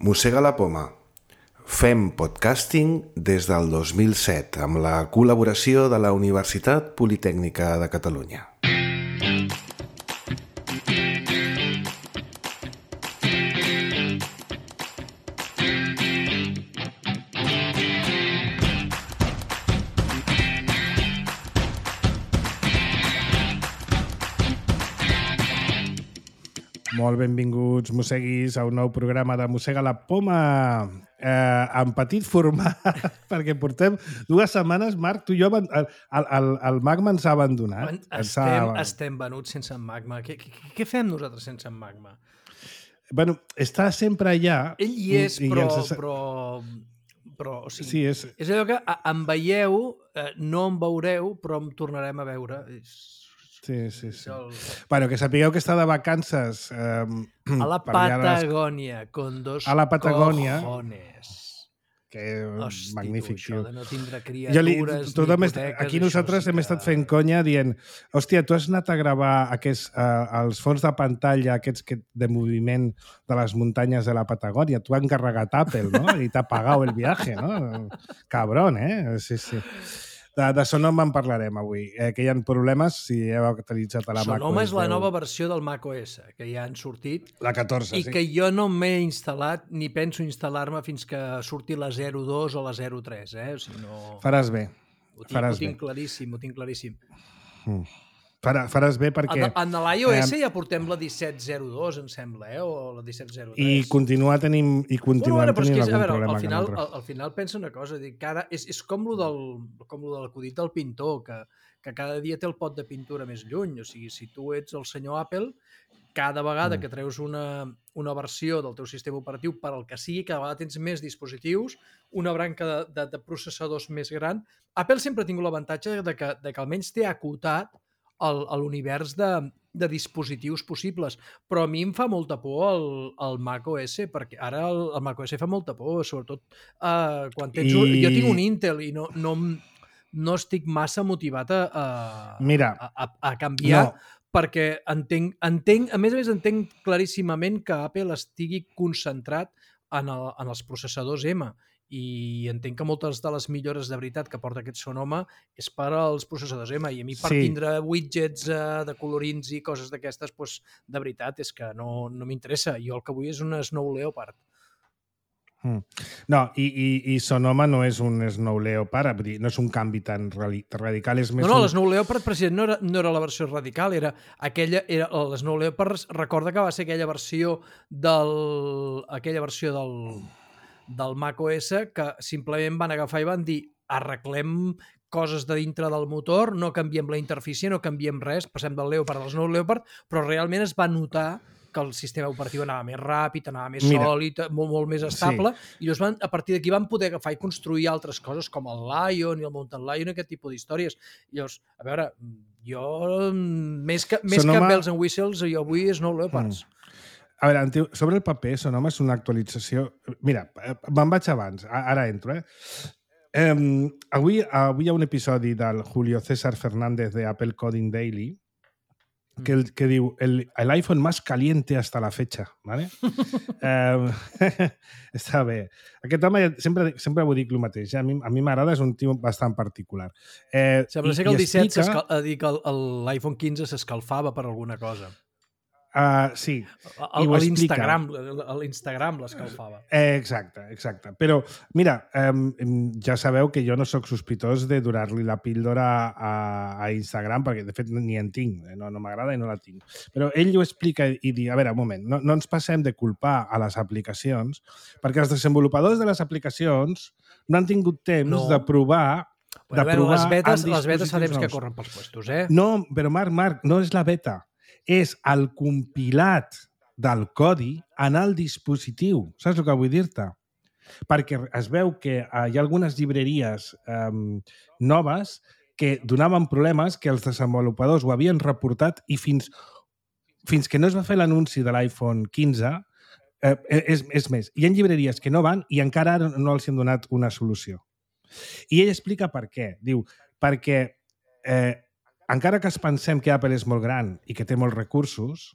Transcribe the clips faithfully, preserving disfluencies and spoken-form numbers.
Mossega la poma. Fem podcasting des del dos mil set amb la col·laboració de la Universitat Politècnica de Catalunya. Molt benvinguts, mosseguis, a un nou programa de Mossega la poma, eh, en petit format, perquè portem dues setmanes, Marc, tu i jo, el, el, el Magma ens ha abandonat. Estem, ha... estem venuts sense en Magma. Què, què, què fem nosaltres sense en Magma? Bueno, està sempre allà. Ell hi és, i, però, i ens... però, però o sigui, sí, és... és allò que em veieu, no em veureu, però em tornarem a veure. Sí, sí, sí. El... Bueno, que sapigueu que està de vacances... Eh, a la Patagònia, les... con dos a la Patagònia, cojones. Que Hosti, magnífic, tu, això tio. de no tindre criatures, li, ni hipoteques... Aquí nosaltres hem que... estat fent conya dient hòstia, tu has anat a gravar aquests, uh, els fons de pantalla aquests que, de moviment de les muntanyes de la Patagònia. Tu has encarregat Apple, no? I t'ha pagat el viatge, no? Cabrón, eh? Sí, sí. De, de Sonoma en parlarem avui, eh, que hi ha problemes si heu actualitzat a la macOS. Sonoma és la nova versió del macOS, que ja han sortit. La catorze, i sí. I que jo no m'he instal·lat ni penso instal·lar-me fins que surti la zero dos o la zero tres. Eh? O sigui, no... Faràs bé. Ho tinc, Faràs ho tinc bé. claríssim, ho tinc claríssim. Mm. Farà, faràs bé perquè... En, en l'iOS eh, ja portem la disset zero dos, em sembla, eh? O la disset zero tres. I continua tenint, i continua bueno, tenint és, algun veure, problema. Al final, al, al final pensa una cosa, dic, cada, és, és com lo del, com lo del acudit del pintor, que, que cada dia té el pot de pintura més lluny. O sigui, si tu ets el senyor Apple, cada vegada mm. que treus una, una versió del teu sistema operatiu per al que sigui, cada vegada tens més dispositius, una branca de, de, de processadors més gran. Apple sempre ha tingut l'avantatge de que, de que almenys té acotat a l'univers de, de dispositius possibles, però a mi em fa molta por el, el macOS, perquè ara el, el macOS fa molta por, sobretot uh, quan tens... I... Jo tinc un Intel i no, no, no estic massa motivat a, a, Mira, a, a, a canviar, no. perquè entenc, entenc, a més a més entenc claríssimament que Apple estigui concentrat en, el, en els processadors M, i entenc que moltes de les millores de veritat que porta aquest Sonoma és per als processadors M, i a mi per sí. tindre widgets uh, de colorins i coses d'aquestes, pues, de veritat és que no, no m'interessa. Jo el que vull és un Snow Leopard. Mm. No, i, i, i Sonoma no és un Snow Leopard, no és un canvi tan radical, és més... No, no, un... l'Snow Leopard, president, no era, no era la versió radical, era aquella... Era, l'Snow Leopard, recorda que va ser aquella versió del... aquella versió del... del macOS que simplement van agafar i van dir arreglem coses de dintre del motor, no canviem la interfície, no canviem res, passem del Leopard al Snow Leopard, però realment es va notar que el sistema operatiu anava més ràpid, anava més Mira, sòlid, molt, molt més estable, sí. i llavors van, a partir d'aquí van poder agafar i construir altres coses com el Lion i el Mountain Lion i aquest tipus d'històries. Llavors, a veure, jo més que, més Sonoma... que bells and whistles, jo vull Snow Leopards. Mm. A veure, sobre el paper, Sonoma és una actualització... Mira, me'n vaig abans, ara entro, eh? eh avui, avui hi ha un episodi del Julio César Fernández de Apple Coding Daily que, el, que diu el, el iPhone más caliente hasta la fecha, ¿vale? eh, està bé. Aquest home sempre, sempre ho dic el mateix. A mi, a mi m'agrada, és un tio bastant particular. Eh, Sembla ser que el disset explica... l'iPhone quinze s'escalfava per alguna cosa. Uh, sí. A l'Instagram, l'Instagram l'escalfava. Eh, exacte, exacte. Però, mira, um, ja sabeu que jo no sóc sospitós de donar-li la píldora a, a Instagram, perquè de fet ni en tinc, no, no m'agrada i no la tinc. Però ell ho explica i diu, a veure, un moment, no, no ens passem de culpar a les aplicacions, perquè els desenvolupadors de les aplicacions no han tingut temps no. de provar bueno, de provar les betes, les betes fa temps nous. Que corren pels puestos, eh? No, però Marc, Marc, no és la beta. És el compilat del codi en el dispositiu. Saps el que vull dir-te? Perquè es veu que hi ha algunes llibreries eh, noves que donaven problemes, que els desenvolupadors ho havien reportat i fins, fins que no es va fer l'anunci de l'iPhone quinze, eh, és, és més, hi ha llibreries que no van i encara no els han donat una solució. I ell explica per què. Diu, perquè... Eh, encara que es pensem que Apple és molt gran i que té molts recursos,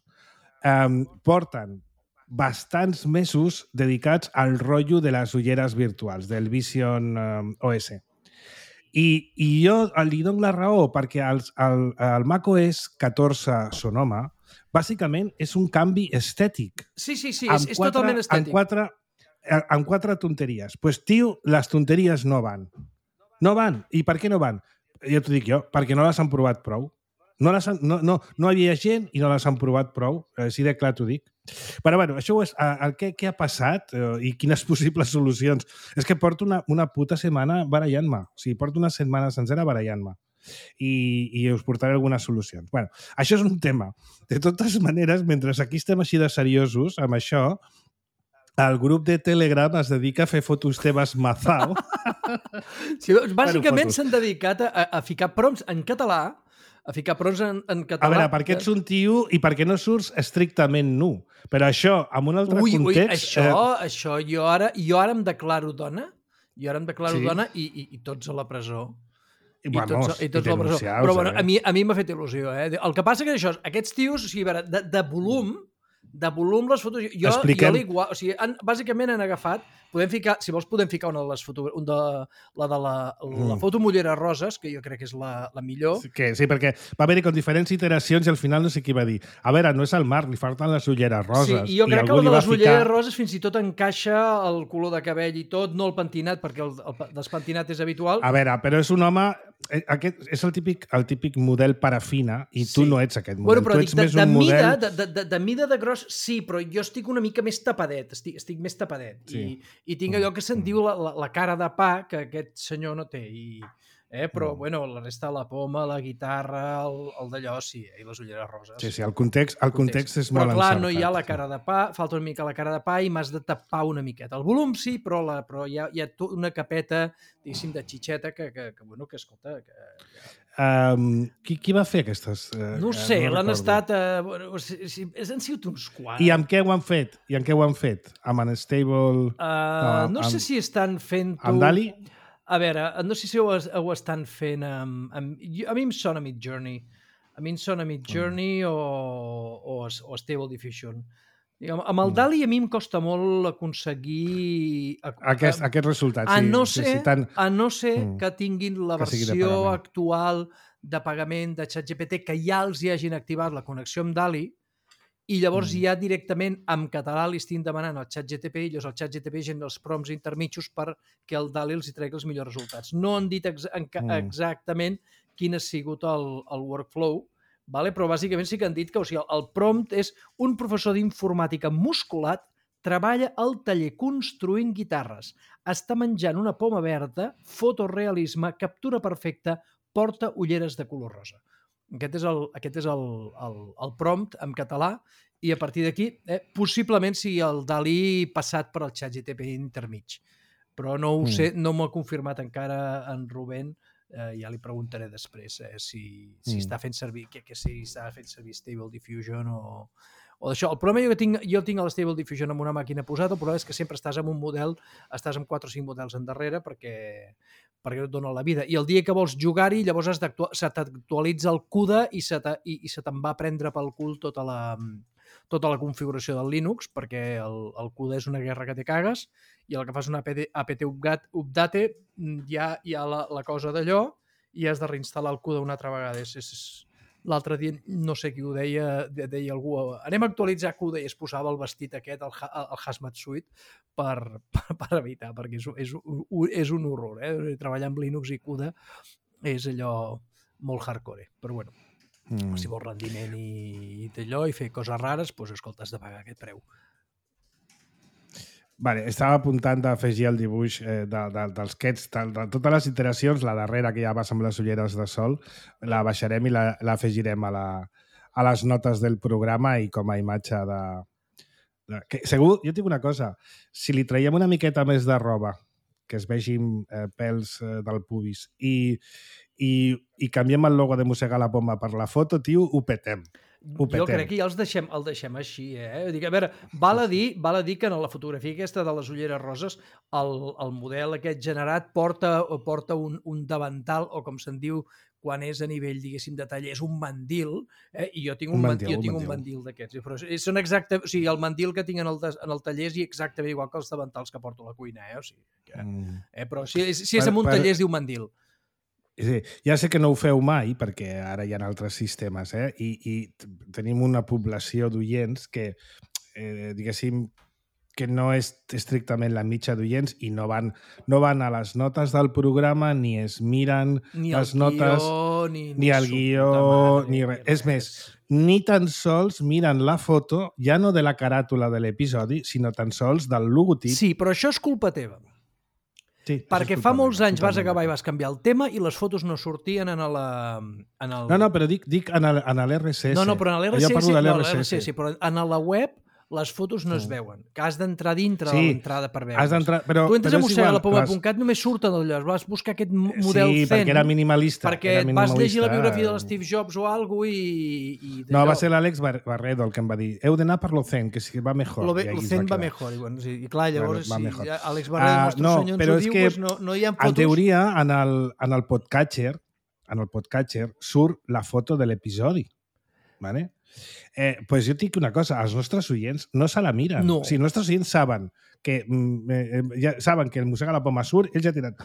eh, porten bastants mesos dedicats al rotllo de les ulleres virtuals, del Vision um, O S. I, I jo li dono la raó perquè el, el, el macOS catorze Sonoma bàsicament és un canvi estètic. Sí, sí, sí, és, és quatre, totalment estètic. Amb quatre, amb quatre tonteries. Doncs, pues, tio, les tonteries no van. No van. I per què no van? Ja t'ho dic jo, perquè no les han provat prou. No, les han, no, no, no hi havia gent i no les han provat prou. Així de clar t'ho dic. Però, bueno, això és el que, què ha passat eh, i quines possibles solucions. És que porto una, una puta setmana barallant-me. O sigui, porto una setmana sencera barallant-me. I, i us portaré algunes solucions. Bueno, això és un tema. De totes maneres, mentre aquí estem així de seriosos amb això, el grup de Telegram es dedica a fer fotos teves mazao. Sí, doncs, bàsicament s'han dedicat a, a ficar prompts en català, a ficar prompts en, en català. A veure, perquè ets un tio i perquè no surts estrictament nu. Però això, en un altre ui, context... Ui, això, eh... això jo, ara, jo ara em declaro dona, jo ara em declaro sí. dona i, i, i tots a la presó. I, I vamos, tots, i tots i a la presó. Però bueno, eh? a mi, a mi m'ha fet il·lusió. Eh? El que passa que això, aquests tios, o sigui, a veure, de, de volum, de volum les fotos... Jo, Expliquem... jo l'igual... O sigui, han, bàsicament han agafat... Podem ficar, si vols, podem ficar una de les fotos... Un de, la de la, la mm. foto Mullera Roses, que jo crec que és la, la millor. Sí, que, sí, perquè va haver-hi con diferents iteracions i al final no sé qui va dir. A veure, no és el Marc, li falten les ulleres roses. Sí, i jo crec I que la de les ulleres ficar... roses fins i tot encaixa el color de cabell i tot, no el pentinat, perquè el, el despentinat és habitual. A veure, però és un home... Aquest és el típic, el típic model parafina i tu sí. no ets aquest model. Bueno, però tu ets dic, de, més de, un mida, model... de, de, de, de mida de gros, sí, però jo estic una mica més tapadet, estic, estic més tapadet. Sí. I, I tinc allò que se'n diu la, la, la cara de pa que aquest senyor no té. I, eh, però, mm. bueno, la resta, la poma, la guitarra, el, el d'allò, sí, eh, i les ulleres roses. Sí, sí, el context, el context, context és però, molt clar, encertat. No hi ha la cara de pa, falta una mica la cara de pa i m'has de tapar una miqueta. El volum sí, però, la, però hi ha, hi ha una capeta, diguéssim, de xitxeta que, que, que bueno, que escolta... Que, que... Um, qui, qui va fer aquestes? Uh, no ho sé, no l'han estat... Uh, bueno, o sigui, han sigut uns quants. I amb què ho han fet? I amb què ho han fet? Amb Unstable... Uh, no, no sé amb, si estan fent... Amb Dali? A veure, no sé si ho, ho estan fent amb, amb... A mi em sona Midjourney. A mi em sona Midjourney mm. o, o, o Stable Diffusion. Digue'm, amb el Dali a mi em costa molt aconseguir... Aquest, a, aquest resultat, a sí. No ser, sí, sí tant... A no ser mm. que tinguin la que versió de actual de pagament de ChatGPT, que ja els hi hagin activat la connexió amb Dali, i llavors mm. ja directament en català li estin demanant al ChatGPT i llavors el ChatGPT gent els prompts intermitjos perquè el Dali els hi tregui els millors resultats. No han dit ex mm. exactament quin ha sigut el, el workflow, vale? Però bàsicament sí que han dit que o sigui, el prompt és un professor d'informàtica musculat, treballa al taller construint guitarres, està menjant una poma verda, fotorealisme, captura perfecta, porta ulleres de color rosa. Aquest és el, aquest és el, el, el prompt en català i a partir d'aquí, eh, possiblement sigui el Dalí passat per al ChatGPT intermig. Però no ho mm. sé, no m'ho ha confirmat encara en Rubén, eh, ja li preguntaré després eh, si, si mm. està fent servir, que, que si està fent servir Stable Diffusion o, o d'això. El problema jo tinc, jo tinc el Stable Diffusion amb una màquina posada, el problema és que sempre estàs amb un model, estàs amb quatre o cinc models endarrere perquè, perquè no et dona la vida. I el dia que vols jugar-hi, llavors has se t'actualitza el CUDA i se i, i se te'n va prendre pel cul tota la, tota la configuració del Linux, perquè el, el CUDA és una guerra que te cagues, i el que fas una apt update ja hi ha la, la cosa d'allò i has de reinstal·lar el CUDA una altra vegada. És, és, l'altre dia, no sé qui ho deia, deia algú, anem a actualitzar CUDA i es posava el vestit aquest, el, el Hazmat Suite, per, per, per evitar, perquè és, és, és un horror. Eh? Treballar amb Linux i CUDA és allò molt hardcore. Però bueno, mm. si vols rendiment i, i d'allò i fer coses rares, doncs escolta, has de pagar aquest preu. Vale, estava apuntant d'afegir el dibuix eh, de, de, dels quets, de, de totes les iteracions, la darrera que ja vas amb les ulleres de sol, la baixarem i l'afegirem la, a, la, a les notes del programa i com a imatge de... de que, segur, jo tinc una cosa, si li traiem una miqueta més de roba, que es vegin eh, pèls eh, del pubis, i, i, i canviem el logo de Mossegar la Poma per la foto, tio, ho petem. ho petem. Jo crec que ja els deixem, el deixem així, eh? Dic, a veure, val a dir, val a dir que en la fotografia aquesta de les ulleres roses el, el model aquest generat porta, porta un, un davantal, o com se'n diu quan és a nivell, diguéssim, de taller, és un mandil, eh? I jo tinc un, un mandil, jo tinc un mandil d'aquests. Però són exacte, o sigui, el mandil que tinc en el, en el taller és exactament igual que els davantals que porto a la cuina, eh? O sigui, que, mm. eh? Però si, si és en un per, taller es diu mandil. Sí, ja sé que no ho feu mai, perquè ara hi ha altres sistemes, eh? I, i tenim una població d'oients que, eh, diguéssim, que no és estrictament la mitja d'oients i no van, no van a les notes del programa ni es miren ni les guió, notes, ni, ni el guió, ni res. És més, ni tan sols miren la foto, ja no de la caràtula de l'episodi, sinó tan sols del logotip. Sí, però això és culpa teva. Sí, perquè fa molts anys vas acabar i vas canviar el tema i les fotos no sortien en la... En el... No, no, però dic, dic en l'R S S. No, no, però en l'R S S, jo parlo de l'R S S, però en la web les fotos no es veuen, que has d'entrar dintre sí, de l'entrada per veure's. Has d'entrar, però, tu entres però a mossega la poma les... punt cat, només surten allò, vas buscar aquest model sí, zen. perquè era minimalista. Perquè era et minimalista. vas llegir la biografia de l'Steve Jobs o alguna i... i no, va ser l'Àlex Barredo el que em va dir heu d'anar per lo zen, que si va mejor. Lo, ve, lo zen va, va mejor. I, bueno, sí, i clar, llavors, bueno, si Àlex Barredo, el nostre uh, no, senyor, ens ho diu, pues no, no hi ha fotos. En teoria, en el, en el podcatcher, en el podcatcher surt la foto de l'episodi. Vale? Eh, pues jo et dic una cosa, els nostres oients no se la miren. No. O sigui, els nostres oients saben que, eh, ja saben que el Mossega la Poma surt, ells ja tenen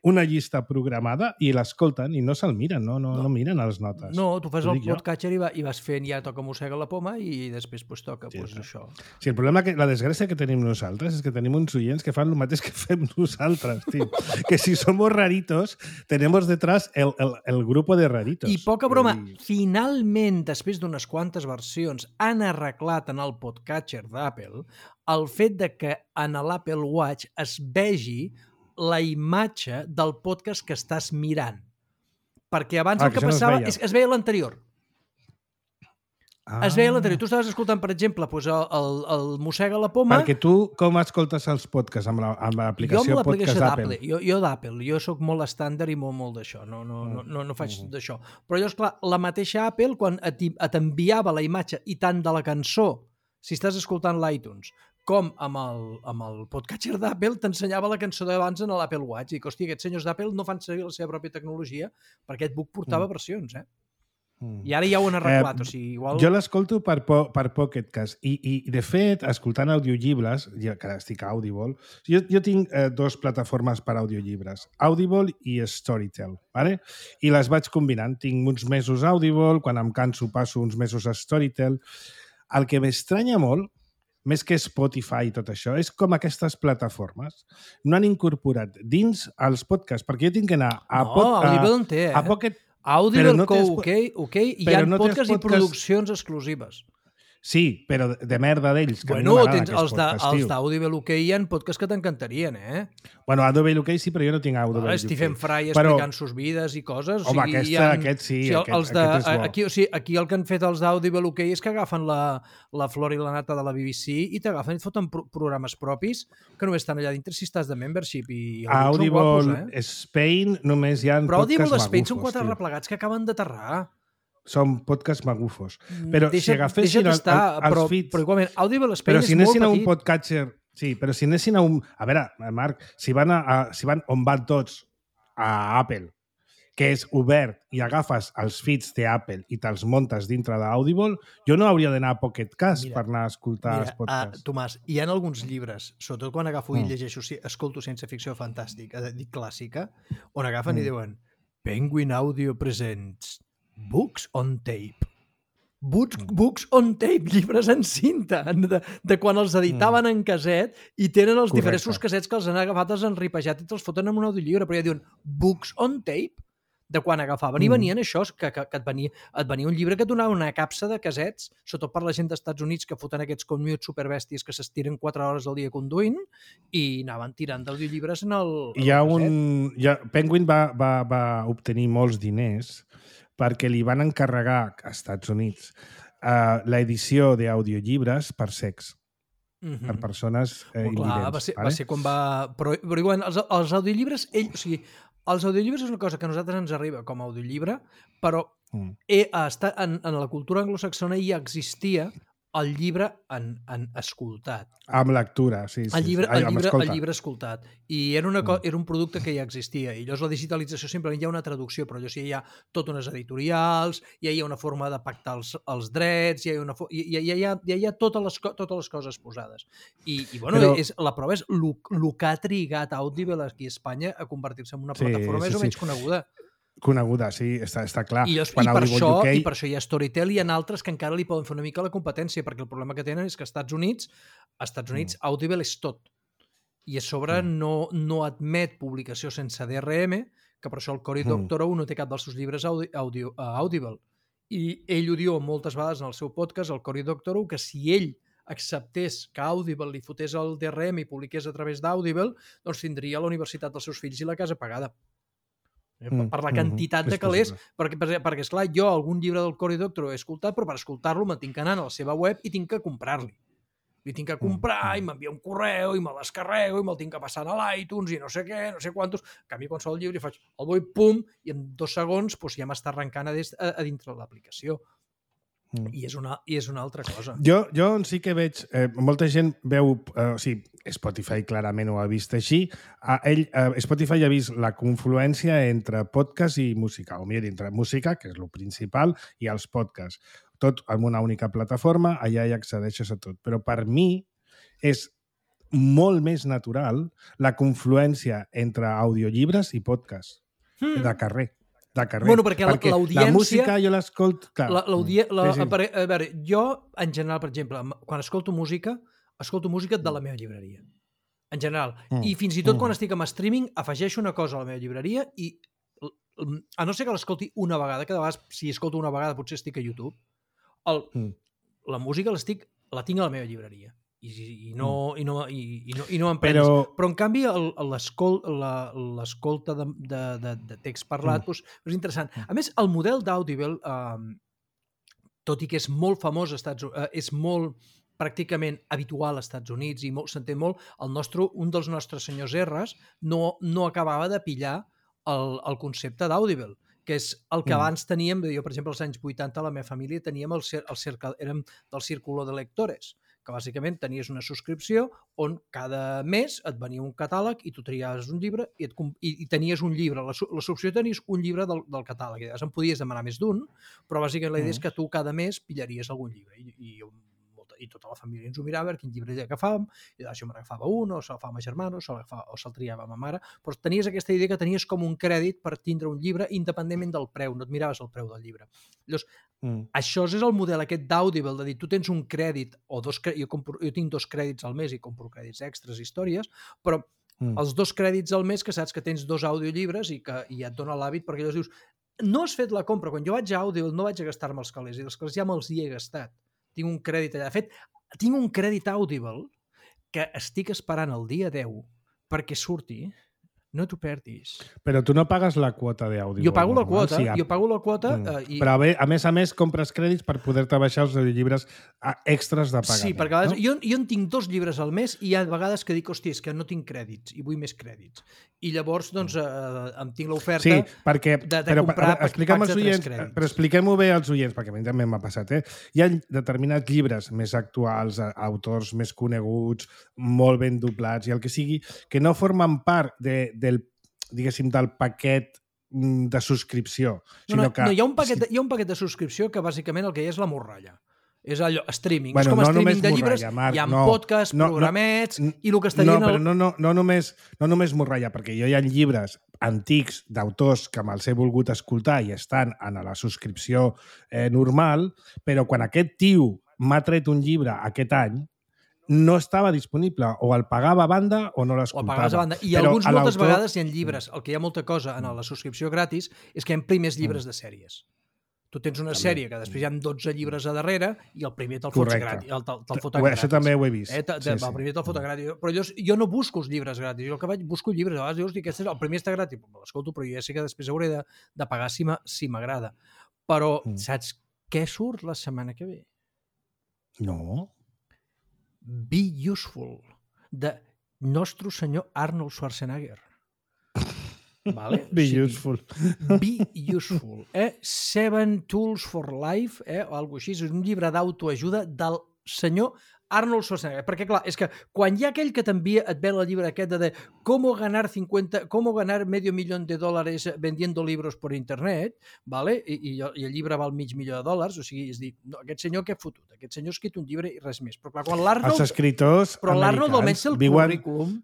una llista programada i l'escolten i no se'l miren, no, no, no. no miren les notes. No, tu fas el podcatcher i, va, i vas fent ja toca Mossega la Poma i després pues, toca sí, pues, sí. això. Sí, el problema, que la desgràcia que tenim nosaltres és que tenim uns oients que fan el mateix que fem nosaltres, tio. Que si somos raritos, tenemos detrás el, el, el grupo de raritos. I poca broma, I... finalment, després d'unes quantes versions, han arreglat en el podcatcher d'Apple el fet de que en l'Apple Watch es vegi la imatge del podcast que estàs mirant. Perquè abans ah, el que, que passava es, és que es veia l'anterior. Ah. Es veia l'anterior. Tu estaves escoltant, per exemple, doncs el, el, el Mossega la Poma... Perquè tu com escoltes els podcasts? Amb l'aplicació la, podcast d'Apple? Jo, jo d'Apple. Jo sóc molt estàndard i molt, molt d'això. No, no, no, no, no faig mm. d'això. Però llavors, clar, la mateixa Apple, quan et, et enviava la imatge i tant de la cançó, si estàs escoltant l'iTunes, com amb el, amb el podcatcher d'Apple t'ensenyava la cançó d'abans en l'Apple Watch. I que, hòstia, aquests senyors d'Apple no fan servir la seva pròpia tecnologia perquè aquest book portava mm. versions, eh? Mm. I ara ja ho han arreglat. Eh, o sigui, igual... Jo l'escolto per, po per Pocketcast i, i, de fet, escoltant audiollibres, ja que estic a Audible, jo, jo tinc eh, dos plataformes per audiollibres, Audible i Storytel, ¿vale? I les vaig combinant. Tinc uns mesos Audible, quan em canso passo uns mesos a Storytel. El que m'estranya molt, més que Spotify i tot això, és com aquestes plataformes no han incorporat dins els podcasts, perquè jo tinc que anar a... No, a, Audible en té, eh? A Pocket... Audible, no tens... ok, ok, hi ha no podcasts podcast... i produccions exclusives. Sí, però de merda d'ells. Bueno, tens els d'Audible U K hi ha podcasts que t'encantarien, eh? Bueno, Audible U K sí, però jo no tinc Audible U K. Stephen Fry explicant sus vides i coses. Home, o sigui, aquesta, ha... aquest sí, o sigui, aquest, els de, aquest és bo. Aquí, o sigui, aquí el que han fet els d'Audible U K és que agafen la, la flor i la nata de la B B C i t'agafen i et foten pro programes propis que només estan allà dintre si estàs de membership. I Audible guapos, eh? Spain només hi ha però podcasts magufos. Però Audible Spain són quatre replegats que acaben d'aterrar. Són podcasts magufos. Però deixa, si agafessin el, estar, el, els però, feeds... Però igualment, Audible Spain però si és molt petit. Però si anessin a un podcatcher... Sí, però si anessin a un... A veure, Marc, si van, a, a, si van on van tots a Apple, que és obert i agafes els feeds d'Apple i te'ls muntes dintre d'Audible, jo no hauria d'anar a Pocket Cast mira, per anar a escoltar mira, els podcasts. Uh, Tomàs, hi ha alguns llibres, sobretot quan agafo mm. i llegeixo, escolto ciència ficció fantàstica, dic clàssica, on agafen mm. i diuen Penguin Audio presents Books on Tape. Books, books on tape, llibres en cinta, de, de quan els editaven mm. en caset i tenen els Correcte. Diversos casets que els han agafat, els han ripejat i te'ls foten en un audiollibre, però ja diuen books on tape, de quan agafaven mm. i venien això, que, que, que et, venia, et venia un llibre que et donava una capsa de casets, sobretot per la gent d'Estats Units que foten aquests commutes superbèsties que s'estiren quatre hores al dia conduint i anaven tirant d'audiollibres en el, en hi ha el caset. Un, hi ha, Penguin va, va, va obtenir molts diners perquè li van encarregar a Estats Units uh, l'edició d'audiollibres per sex. mm-hmm. per persones eh, oh, clar, invidents. Va ser, vale? va ser quan va... Però, però igual, els, els audiollibres, ell, o sigui, els audiollibres és una cosa que a nosaltres ens arriba com a audiollibre, però mm. he, està, en, en la cultura anglosaxona ja existia el llibre en, en escoltat. Amb lectura, sí. sí el llibre, sí. Ai, el, llibre, el llibre escoltat. I era, una, mm. era un producte que ja existia. I llavors la digitalització simplement hi ha una traducció, però allò sí, hi ha tot unes editorials, ja hi ha una forma de pactar els, els drets, ja hi ha, una, ja, ja, ja, ja, ja hi ha totes les, totes les coses posades. I, i bueno, però... és, la prova és el que ha trigat Audible aquí a Espanya a convertir-se en una plataforma sí, més sí, o menys sí. coneguda. Coneguda, sí, està, està clar. I, llavors, i, per això, U K... I per això hi ha Storytel i hi ha altres que encara li poden fer una mica la competència, perquè el problema que tenen és que als Estats Units, als Estats Units mm. Audible és tot. I a sobre mm. no, no admet publicació sense D R M, que per això el Cory mm. Doctorow no té cap dels seus llibres audi, audio, uh, Audible. I ell ho diu moltes vegades en el seu podcast, el Cory Doctorow, que si ell acceptés que Audible li fotés el D R M i publiqués a través d'Audible, doncs tindria la universitat dels seus fills i la casa pagada. Mm, per la quantitat mm, de calés, perquè, perquè, perquè esclar, jo algun llibre del Cory Doctorow he escoltat, però per escoltar-lo me'n tinc que anar a la seva web i tinc que comprar-li. Li tinc que comprar mm, i m'envia un correu i me l'escarrego i me'l tinc que passar a l'iTunes i no sé què, no sé quantos. En canvi, qualsevol llibre faig el vull, pum, i en dos segons doncs, ja m'està arrencant a, a, a dintre de l'aplicació. Mm. I, és una, I és una altra cosa. Jo, jo sí que veig... Eh, molta gent veu... Eh, o sigui, Spotify clarament ho ha vist així. Eh, ell, eh, Spotify ha vist la confluència entre podcast i música, o millor, entre música, que és el principal, i els podcasts. Tot en una única plataforma, allà hi accedeixes a tot. Però per mi és molt més natural la confluència entre audiollibres i podcasts mm. de carrer. De carrer. Bueno, perquè, perquè l'audiència... La música jo l'escolto... La, la, sí, sí. A veure, jo, en general, per exemple, quan escolto música, escolto música de la meva llibreria. En general. Mm. I fins i tot mm. quan estic amb streaming, afegeixo una cosa a la meva llibreria i, a no ser que l'escolti una vegada, que de vegades, si escolto una vegada, potser estic a YouTube, el, mm. la música l'estic, la tinc a la meva llibreria. I, i no, mm. i no, i, i no, i no em prens. Però... Però, en canvi, l'escolta de, de, de, de text parlat mm. doncs, és interessant. A més, el model d'Audible, eh, tot i que és molt famós, Estats, eh, és molt pràcticament habitual als Estats Units i s'entén molt, el nostre, un dels nostres senyors R's no, no acabava de pillar el, el concepte d'Audible, que és el que mm. abans teníem, jo, per exemple, als anys vuitanta, a la meva família teníem el, el cercle, érem del Círculo de Lectores, que bàsicament tenies una subscripció on cada mes et venia un catàleg i tu triaves un llibre i, et, i, i tenies un llibre. La, la subscripció tenies un llibre del, del catàleg. I en podies demanar més d'un, però bàsicament la idea és que tu cada mes pillaries algun llibre. I, i, i tota la família ens ho mirava, quin llibre agafàvem, i això me n'agafava un, o se'l fa a ma germana, o se'l triava a ma mare, però tenies aquesta idea que tenies com un crèdit per tindre un llibre independentment del preu, no et miraves el preu del llibre. Llavors, mm. això és el model aquest d'Audible, de dir, tu tens un crèdit, o dos, jo, compro, jo tinc dos crèdits al mes i compro crèdits extras, històries, però mm. els dos crèdits al mes que saps que tens dos audiollibres i que i et dona l'hàbit, perquè llavors dius, no has fet la compra, quan jo vaig a Audible no vaig a gastar-me els calés, i els calés ja me'ls hi he gastat. Tinc un crèdit allà. De fet, tinc un crèdit Audible que estic esperant el dia deu perquè surti. No t'ho perdis. Però tu no pagues la quota d'Audible. Jo pago la quota, sí, jo pago la quota. Mm. Eh, i... Però a, a més a més compres crèdits per poder-te baixar els llibres extras de pagament. Sí, perquè a vegades, no? jo, jo en tinc dos llibres al mes i hi ha vegades que dic, hòstia, és que no tinc crèdits i vull més crèdits. I llavors, doncs, eh, em tinc l'oferta sí, perquè, de, de però, comprar expliquem packs de oients, tres crèdits. Però expliquem-ho bé als oients, perquè a mi també m'ha passat. Eh? Hi ha determinats llibres més actuals, autors més coneguts, molt ben doblats i el que sigui, que no formen part de, del diguéssim, del paquet de subscripció. No, no, que... no hi, ha un paquet, hi ha un paquet de subscripció que bàsicament el que hi ha és la morralla. És allò, streaming. Bueno, és com no streaming de llibres, morralla, Marc, hi ha no, podcasts, no, programets, no, i el que estarien... No, però no, no, no, només, no només morralla, perquè jo hi ha llibres antics d'autors que me'ls he volgut escoltar i estan en la subscripció eh, normal, però quan aquest tio m'ha tret un llibre aquest any, no estava disponible, o el pagava a banda o no l'escoltava. O el pagaves a banda. I però alguns moltes vegades hi ha llibres. El que hi ha molta cosa en la subscripció gratis és que hi ha primers llibres de sèries. Tu tens una també. Sèrie que després hi ha dotze llibres a darrere i el primer te'l fots gratis. El, te'l, te'l foten gratis. Això també ho he vist. Eh, te, sí, el primer te'l foten gratis. Però jo, jo no busco els llibres gratis. Jo el que vaig, busco llibres. A vegades dius, aquest és, el primer està gratis. L'escolto, però jo ja sé que després hauré de, de pagar si m'agrada. Però mm. saps què surt la setmana que ve? No. Be Useful, de nostre senyor Arnold Schwarzenegger. Vale? Be O sigui, useful. Be Useful. Eh? Seven Tools for Life, eh? o alguna cosa així. És un llibre d'autoajuda del senyor Arnold Schwarzenegger. Perquè, clar, és que quan hi ha aquell que t'envia, et ve el llibre aquest de, de cómo ganar cincuenta, cómo ganar medio millón de dólares vendiendo libros por internet, ¿vale? I, i, i el llibre val mig milió de dòlars, o sigui, és dir, no, aquest senyor què ha fotut? Aquest senyor ha escrit un llibre i res més. Però clar, quan l'Arnold... Els escriptors Però l'Arnold almenys té el viuen... currículum...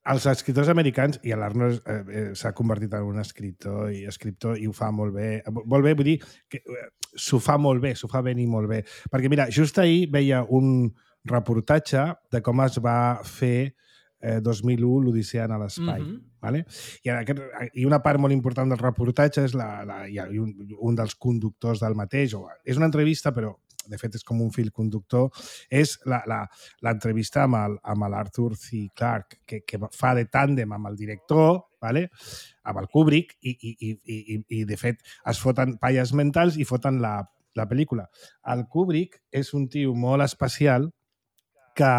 Els escriptors americans, i l'Arnold eh, eh, s'ha convertit en un escriptor i escriptor i ho fa molt bé. Molt bé, vull dir que eh, s'ho fa molt bé, s'ho fa venir molt bé. Perquè, mira, just ahir veia un reportatge de com es va fer eh, dos mil u l'Odissea en l'espai. Mhm. Vale? I, aquest, I una part molt important del reportatge és la, la, i un, un dels conductors del mateix. O, és una entrevista, però de fet és com un fil conductor, és l'entrevista amb el, amb l'Arthur C. Clarke, que, que fa de tàndem amb el director, vale? Amb el Kubrick, i, i, i, i, i de fet es foten palles mentals i foten la, la pel·lícula. El Kubrick és un tio molt especial que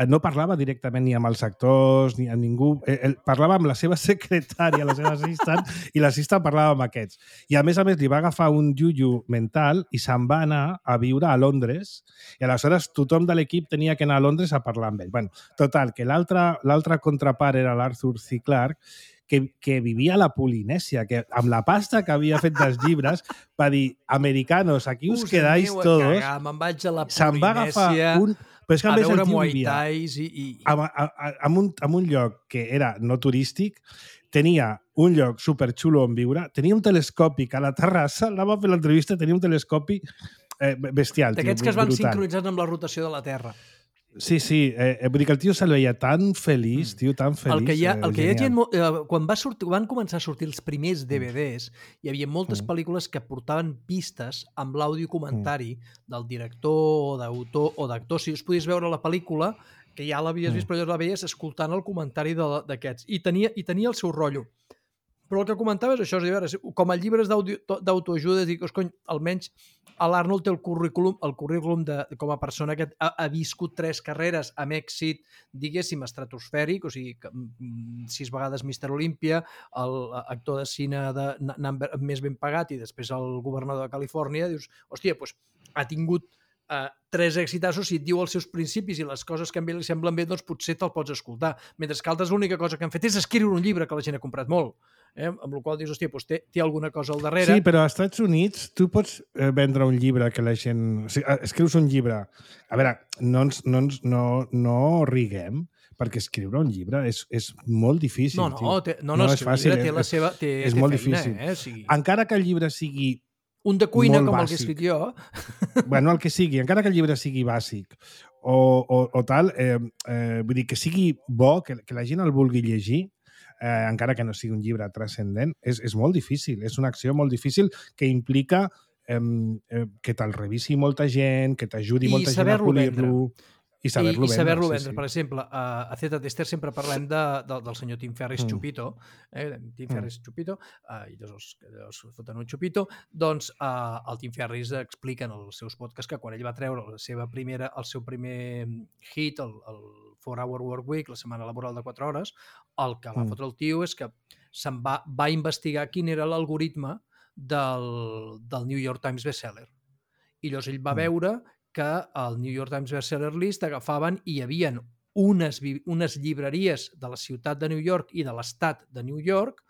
no parlava directament ni amb els actors ni amb ningú. Ell parlava amb la seva secretària, la seva assistant, i l'assistant parlava amb aquests. I a més a més li va agafar un yuyu mental i se'n va anar a viure a Londres i aleshores tothom de l'equip tenia que anar a Londres a parlar amb ell. Bueno, total, que l'altre contrapart era l'Arthur C. Clarke, que, que vivia a la Polinèsia, que amb la pasta que havia fet dels llibres va dir, americanos, aquí us, us quedáis todos. Me'n vaig a la Se'n va agafar un... Però és que, a, a més, veure el tio Muay vivia Thais i... i... en, en, en, un, en un lloc que era no turístic, tenia un lloc superxulo on viure, tenia un telescopi que a la terrassa, anava a fer l'entrevista, tenia un telescopi eh, bestial. D'aquests que es van sincronitzar amb la rotació de la Terra. Sí, sí, eh, vull dir que el tio se'l veia tan feliç, tio, tan feliç. El que hi ha, el que hi ha gent, eh, quan va sortir, van començar a sortir els primers D V Ds, hi havia moltes Mm. pel·lícules que portaven pistes amb l'àudio comentari Mm. del director o d'autor o d'actor. Si us podies veure la pel·lícula, que ja l'havies Mm. vist, però llavors la veies escoltant el comentari de- d'aquests. I tenia, I tenia el seu rotllo. Però el que comentaves, això és, a veure, com a llibres d'audio- d'autoajuda, dic, cony, almenys l'Arnold té el currículum, el currículum de, com a persona que ha, ha viscut tres carreres amb èxit, diguéssim, estratosfèric, o sigui, que, mm, sis vegades míster Olímpia, l'actor de cine de, number, més ben pagat i després el governador de Califòrnia, dius, hòstia, doncs ha tingut Uh, tres èxitassos, si et diu els seus principis i les coses que a ell li semblen bé, doncs potser te'l pots escoltar. Mentre que altres l'única cosa que han fet és escriure un llibre que la gent ha comprat molt. Eh? Amb la qual dius, hòstia, doncs té, té alguna cosa al darrere. Sí, però als Estats Units tu pots eh, vendre un llibre que la gent... O sigui, escrius un llibre... A veure, no, ens, no, ens, no, no riguem, perquè escriure un llibre és, és molt difícil. No, no, tio. té, no, no, no és fàcil. Té la seva, té, és té molt feina, difícil. Eh? O sigui... Encara que el llibre sigui un de cuina molt com bàsic. El que he escrit jo. Bueno, el que sigui, encara que el llibre sigui bàsic o, o, o tal, eh, eh, vull dir que sigui bo, que, que la gent el vulgui llegir, eh, encara que no sigui un llibre transcendent, és, és molt difícil. És una acció molt difícil que implica eh, eh, que te'l revisi molta gent, que t'ajudi molta gent a polir-lo. I saber-lo I, i saber-lo vendre. sí, sí. Per exemple, a, a Zeta Tester sempre parlem de, de, del senyor Tim Ferriss mm. Chupito, eh? Tim Ferriss mm. Chupito, uh, i dos els, els foten un Chupito, doncs uh, el Tim Ferriss explica en els seus podcasts que quan ell va treure la seva primera, el seu primer hit, el, el four hour work week, la setmana laboral de quatre hores, el que va mm. fotre el tio és que se'n va, va investigar quin era l'algoritme del, del New York Times bestseller. I llavors ell va mm. veure que al New York Times Bestseller List agafaven i hi havia unes, unes llibreries de la ciutat de New York i de l'estat de New York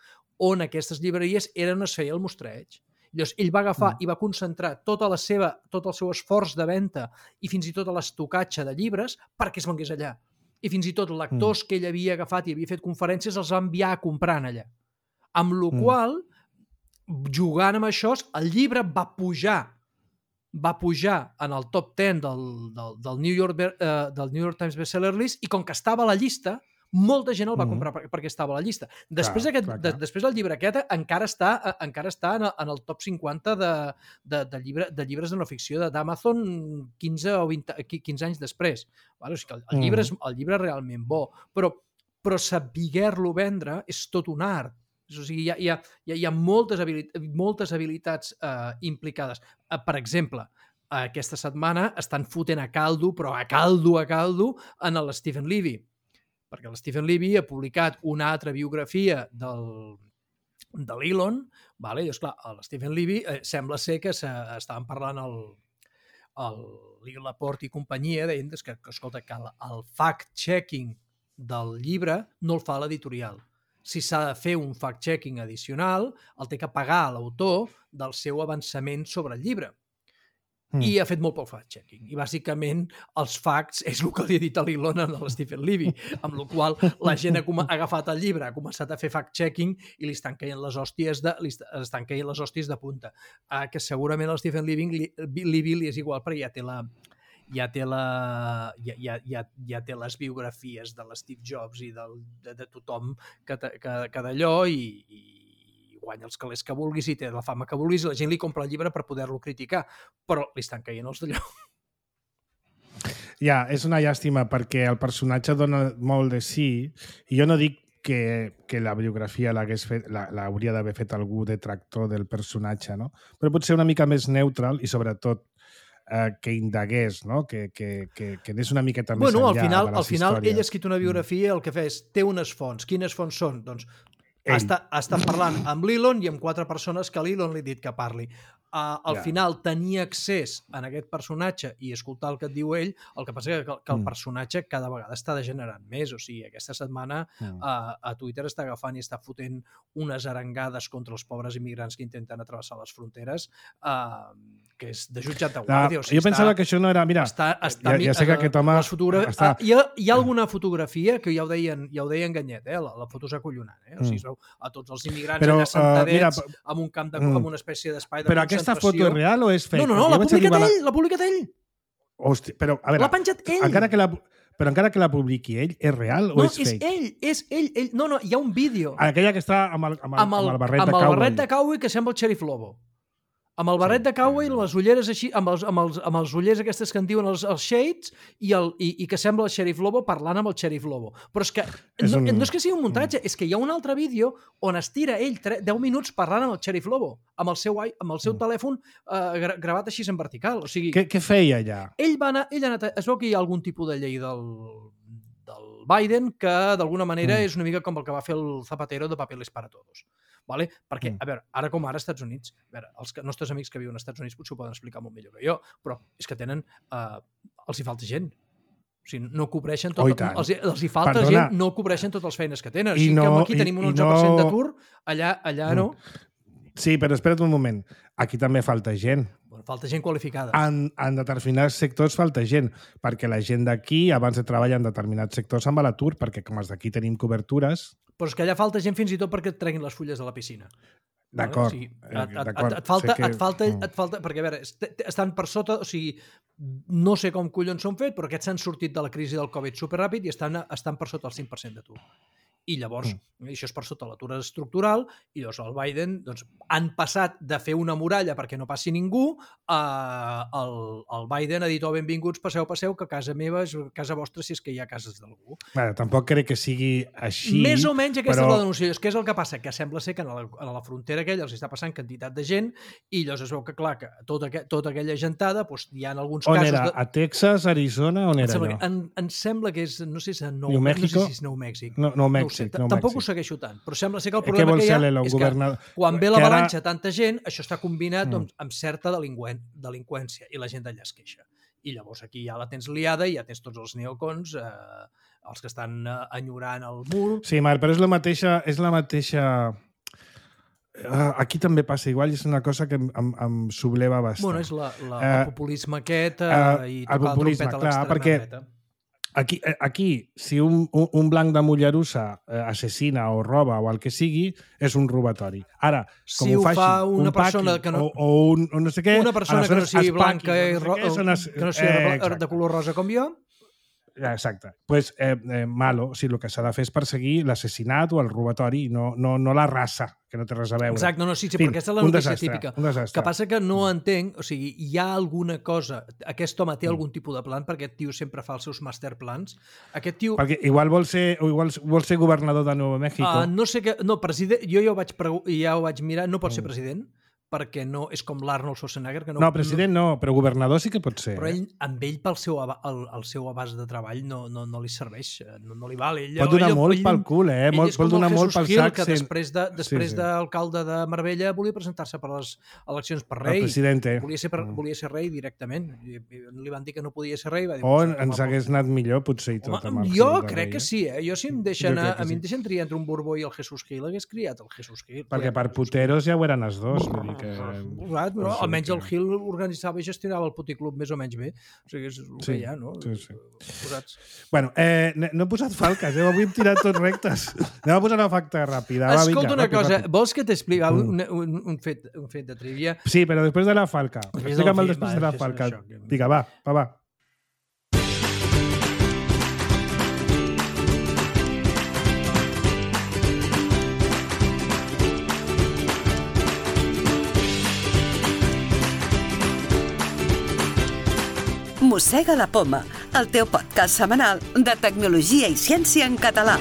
on aquestes llibreries eren on es feia el mostreig. Llavors, ell va agafar mm. i va concentrar tota la seva, tot el seu esforç de venda i fins i tot l'estocatge de llibres perquè es vengués allà. I fins i tot lectors mm. que ell havia agafat i havia fet conferències els va enviar a comprar allà. Amb la mm. qual, jugant amb això, el llibre va pujar va pujar en el top ten del, del, del, New York, uh, del New York Times Bestseller List i com que estava a la llista, molta gent el va comprar mm. perquè estava a la llista. Després, clar, aquest, clar, clar. De, després el llibre aquest encara està, encara està en, en el top cinquanta de, de, de, llibre, de llibres de no ficció d'Amazon quinze o vint, quinze anys després. Vale? O sigui que el, el, llibre és, el llibre és realment bo, però, però saber-lo vendre és tot un art. O sigui, hi ha, hi ha, hi ha moltes, habilit moltes habilitats eh, implicades. Eh, per exemple, aquesta setmana estan fotent a caldo, però a caldo, a caldo, en el Stephen Levy. Perquè el Stephen Levy ha publicat una altra biografia del, de l'Elon, vale? I, esclar, el Stephen Levy eh, sembla ser que estaven parlant el, el Lil Laporte i companyia, deien que, que, escolta, que el, el fact-checking del llibre no el fa l'editorial. Si s'ha de fer un fact-checking addicional, el té que pagar l'autor del seu avançament sobre el llibre. Mm. I ha fet molt poc fact-checking. I bàsicament els facts és el que li ha dit a l'Elon a l'Stephen Levy, amb la qual la gent ha, ha agafat el llibre, ha començat a fer fact-checking i li estan caient les hòsties de, li estan caient les hòsties de punta. Uh, que segurament el Stephen Levy li, Levy li és igual, perquè ja té la... ja té, la, ja, ja, ja, ja té les biografies de l'Steve Jobs i del, de, de tothom que, que, que d'allò i, i guanya els calés que vulguis i té la fama que vulguis i la gent li compra el llibre per poder-lo criticar, però li estan caient els d'allò. Ja, és una llàstima perquè el personatge dona molt de sí i jo no dic que, que la biografia l'hauria d'haver fet algú detractor del personatge, no? Però potser una mica més neutral i sobretot eh, que indagués, no? que, que, que, que anés una miqueta més bueno, enllà al final, de les al final històries. Ell ha escrit una biografia, el que fa és, té unes fonts. Quines fonts són? Doncs ha estat, ha estat parlant amb l'Elon i amb quatre persones que l'Elon li ha dit que parli. Uh, al yeah. final tenir accés en aquest personatge i escoltar el que et diu ell, el que passa que, que el personatge cada vegada està degenerant més. O sigui, aquesta setmana mm. uh, a Twitter està agafant i està fotent unes arengades contra els pobres immigrants que intenten atravessar les fronteres, uh, que és de jutjat de guàrdia. No, o sigui, jo està, pensava que això no era... Mira, està, està, ja, ja sé que aquest home... Fotogra... Està... Uh, hi, ha, hi ha alguna fotografia que ja ho deien, ja ho deien Ganyet, eh? la, la foto és acollonant. Eh? O sigui, es veu a tots els immigrants però, allà sentadets uh, mira, amb un camp de mm. amb una espècie d'espai de però aquesta foto és real o és fake? No, no, no, l'ha publicat ell, la... l'ha publicat ell. Hòstia, però, a veure... L'ha penjat ell. Encara que la... Però encara que la publiqui ell, és real o no, és fake? No, és ell, és ell, ell. No, no, hi ha un vídeo. Aquella que està amb el, amb el, amb el, amb el barret amb de cowboy. Amb el barret de cowboy que sembla el Sheriff Lobo. Amb el barret sí. de cowboy, les ulleres així, amb els, amb els, amb els ullers aquestes que en diuen els, els shades, i, el, i, i que sembla el Sheriff Lobo parlant amb el Sheriff Lobo. Però és que és no, un... no és que sigui un muntatge, és que hi ha un altre vídeo on es tira ell deu minuts parlant amb el Sheriff Lobo, amb el seu, amb el seu mm. telèfon eh, gravat així en vertical. O sigui, què, què feia allà? Ell va anar, ell ha anat, es veu que hi ha algun tipus de llei del, del Biden que d'alguna manera mm. és una mica com el que va fer el Zapatero de Papeles para Todos. Vale? Perquè, a veure, ara com ara als Estats Units, a veure, els nostres amics que viuen als Estats Units potser ho poden explicar molt millor que jo, però és que tenen, eh, els hi falta gent. O sigui, no cobreixen tot, oh, els, els hi falta Perdona. gent, no cobreixen totes les feines que tenen. O sigui, no, que aquí i, tenim un onze per cent no... d'atur, allà, allà no. Sí, però espera't un moment. Aquí també falta gent. Bueno, falta gent qualificada. En, en determinats sectors falta gent, perquè la gent d'aquí abans de treballar en determinats sectors amb l'atur, perquè com els d'aquí tenim cobertures... Però és que allà falta gent fins i tot perquè et treguin les fulles de la piscina. D'acord. O sigui, et, et, et, et, falta, que... et, falta, et falta... Perquè, a veure, estan per sota... O sigui, no sé com collons s'han fet, però aquests s'han sortit de la crisi del Covid superràpid i estan, estan per sota el cinc per cent d'atur. I llavors, mm. això és per sota l'atur estructural, i llavors el Biden, doncs, han passat de fer una muralla perquè no passi ningú, a, el, el Biden ha dit, oh, benvinguts, passeu, passeu, que casa meva és casa vostra si és que hi ha cases d'algú. Bueno, tampoc crec que sigui així. Més o menys aquesta però... és la denúncia. És que és el que passa, que sembla ser que a la, a la frontera aquella els està passant quantitat de gent, i llavors es veu que, clar, que tota, tota aquella gentada, doncs, hi ha alguns on casos... On era? De... A Texas, Arizona? On era allò? En, em sembla que és, no sé si és Nou, New Mexico? No sé si és Nou Mèxic. No, nou Mèxic. No tampoc Mèxic. ho segueixo tant, però sembla ser que el problema que, que hi ha és governador... que quan ve l'avalanxa ara... tanta gent, això està combinat mm. doncs, amb certa delinqüent, delinqüència i la gent d'allà es queixa. I llavors aquí ja la tens liada i ja tens tots els neocons, eh, els que estan eh, enyorant el mur... Sí, Marc, però és la mateixa... És la mateixa... Uh, aquí també passa igual i és una cosa que em, em, em subleva bastant. Bueno, és la, la, uh, el populisme aquest eh, uh, i tocar el trompet a l'extrema perquè... dreta. Aquí, aquí, si un, un, un blanc de Mollerussa eh, assassina o roba o el que sigui, és un robatori. Ara, com si ho faci fa una un persona paqui que no, o, o, un, o no sé què... Una persona que no sigui blanca i no sé què, es, que no sigui eh, de color rosa com jo... Exacte. Pues, eh, eh, malo, o sigui, el que s'ha de fer és perseguir l'assassinat o el robatori, no, no, no la raça, que no té res a veure. Exacte, no, no, sí, sí, fin, perquè aquesta és la notícia desastre, típica. Un desastre. Que passa que no entenc, o sigui, hi ha alguna cosa, aquest home té algun tipus de plan, perquè aquest tio sempre fa els seus masterplans. Aquest tio... Perquè igual vol ser, o igual vol ser governador de Nuevo México. Uh, no sé què... No, president... Jo ja ho vaig, pregu... ja ho vaig mirar, no pot ser president, perquè no és com l'Arnold Schwarzenegger. Que no, no, president no, però governador sí que pot ser. Però ell, amb ell, pel seu, el, el seu abast de treball, no, no, no li serveix, no, no li val. Ell, pot donar ell, molt ell, pel cul, eh? Molt, pot donar molt pel Hill, sac. Que després de, després sí, sí. d'alcalde de Marbella volia presentar-se per les eleccions per rei. El president. Volia ser, per, volia ser rei directament. I, i li van dir que no podia ser rei. Va dir, o ens hagués anat millor, potser, i tot. Home, jo crec rei, que sí, eh? Jo si em deixen, a, a mi em deixen triar entre un Borbó i el Jesús Gil, hagués criat el Jesús Gil. Perquè per puteros ja ho eren els dos. Vull dir que... No, almenys el Gil organitzava i gestionava el puticlub més o menys bé. O sigui, és el sí, que hi ha, no? Sí, sí. Posats. Bueno, eh, no he posat falques, eh? Avui hem tirat tots rectes. Anem a posar una facta ràpida. Va, Escolta vinga, una ràpid, cosa, ràpid. vols que t'expliqui un, un, un, fet, un fet de trivia? Sí, però després de la falca. Explica'm el després va, de la falca. Vinga, va, va, va. Mossega la Poma, el teu podcast setmanal de tecnologia i ciència en català.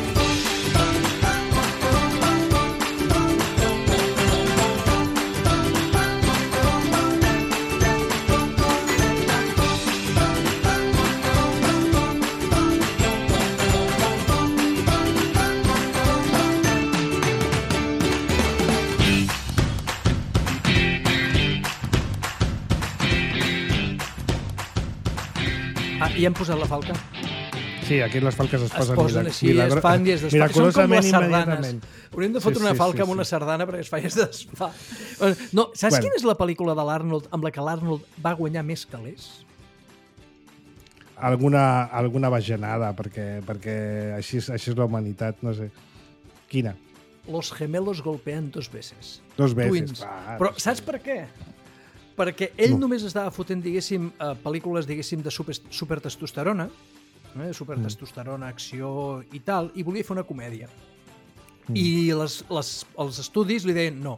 Ah, i hem posat la falca? Sí, aquí les falques es posen, es posen així, milagro... es fan i es desfan. Són com les sardanes. Hauríem de fotre sí, una sí, falca sí, amb una sí. sardana perquè es fa i es desfà. No, saps bueno. quina és la pel·lícula de l'Arnold amb la que l'Arnold va guanyar més calés? Alguna, alguna bajanada, perquè, perquè així, així és la humanitat, no sé. Quina? Los gemelos golpean dos veces. Dos veces. Twins. Va, Però saps per què? Perquè ell no. només estava fotent, diguéssim, uh, pel·lícules, diguéssim, de super, supertestosterona, eh? supertestosterona, acció i tal, i volia fer una comèdia. Mm. I les, les, els estudis li deien no.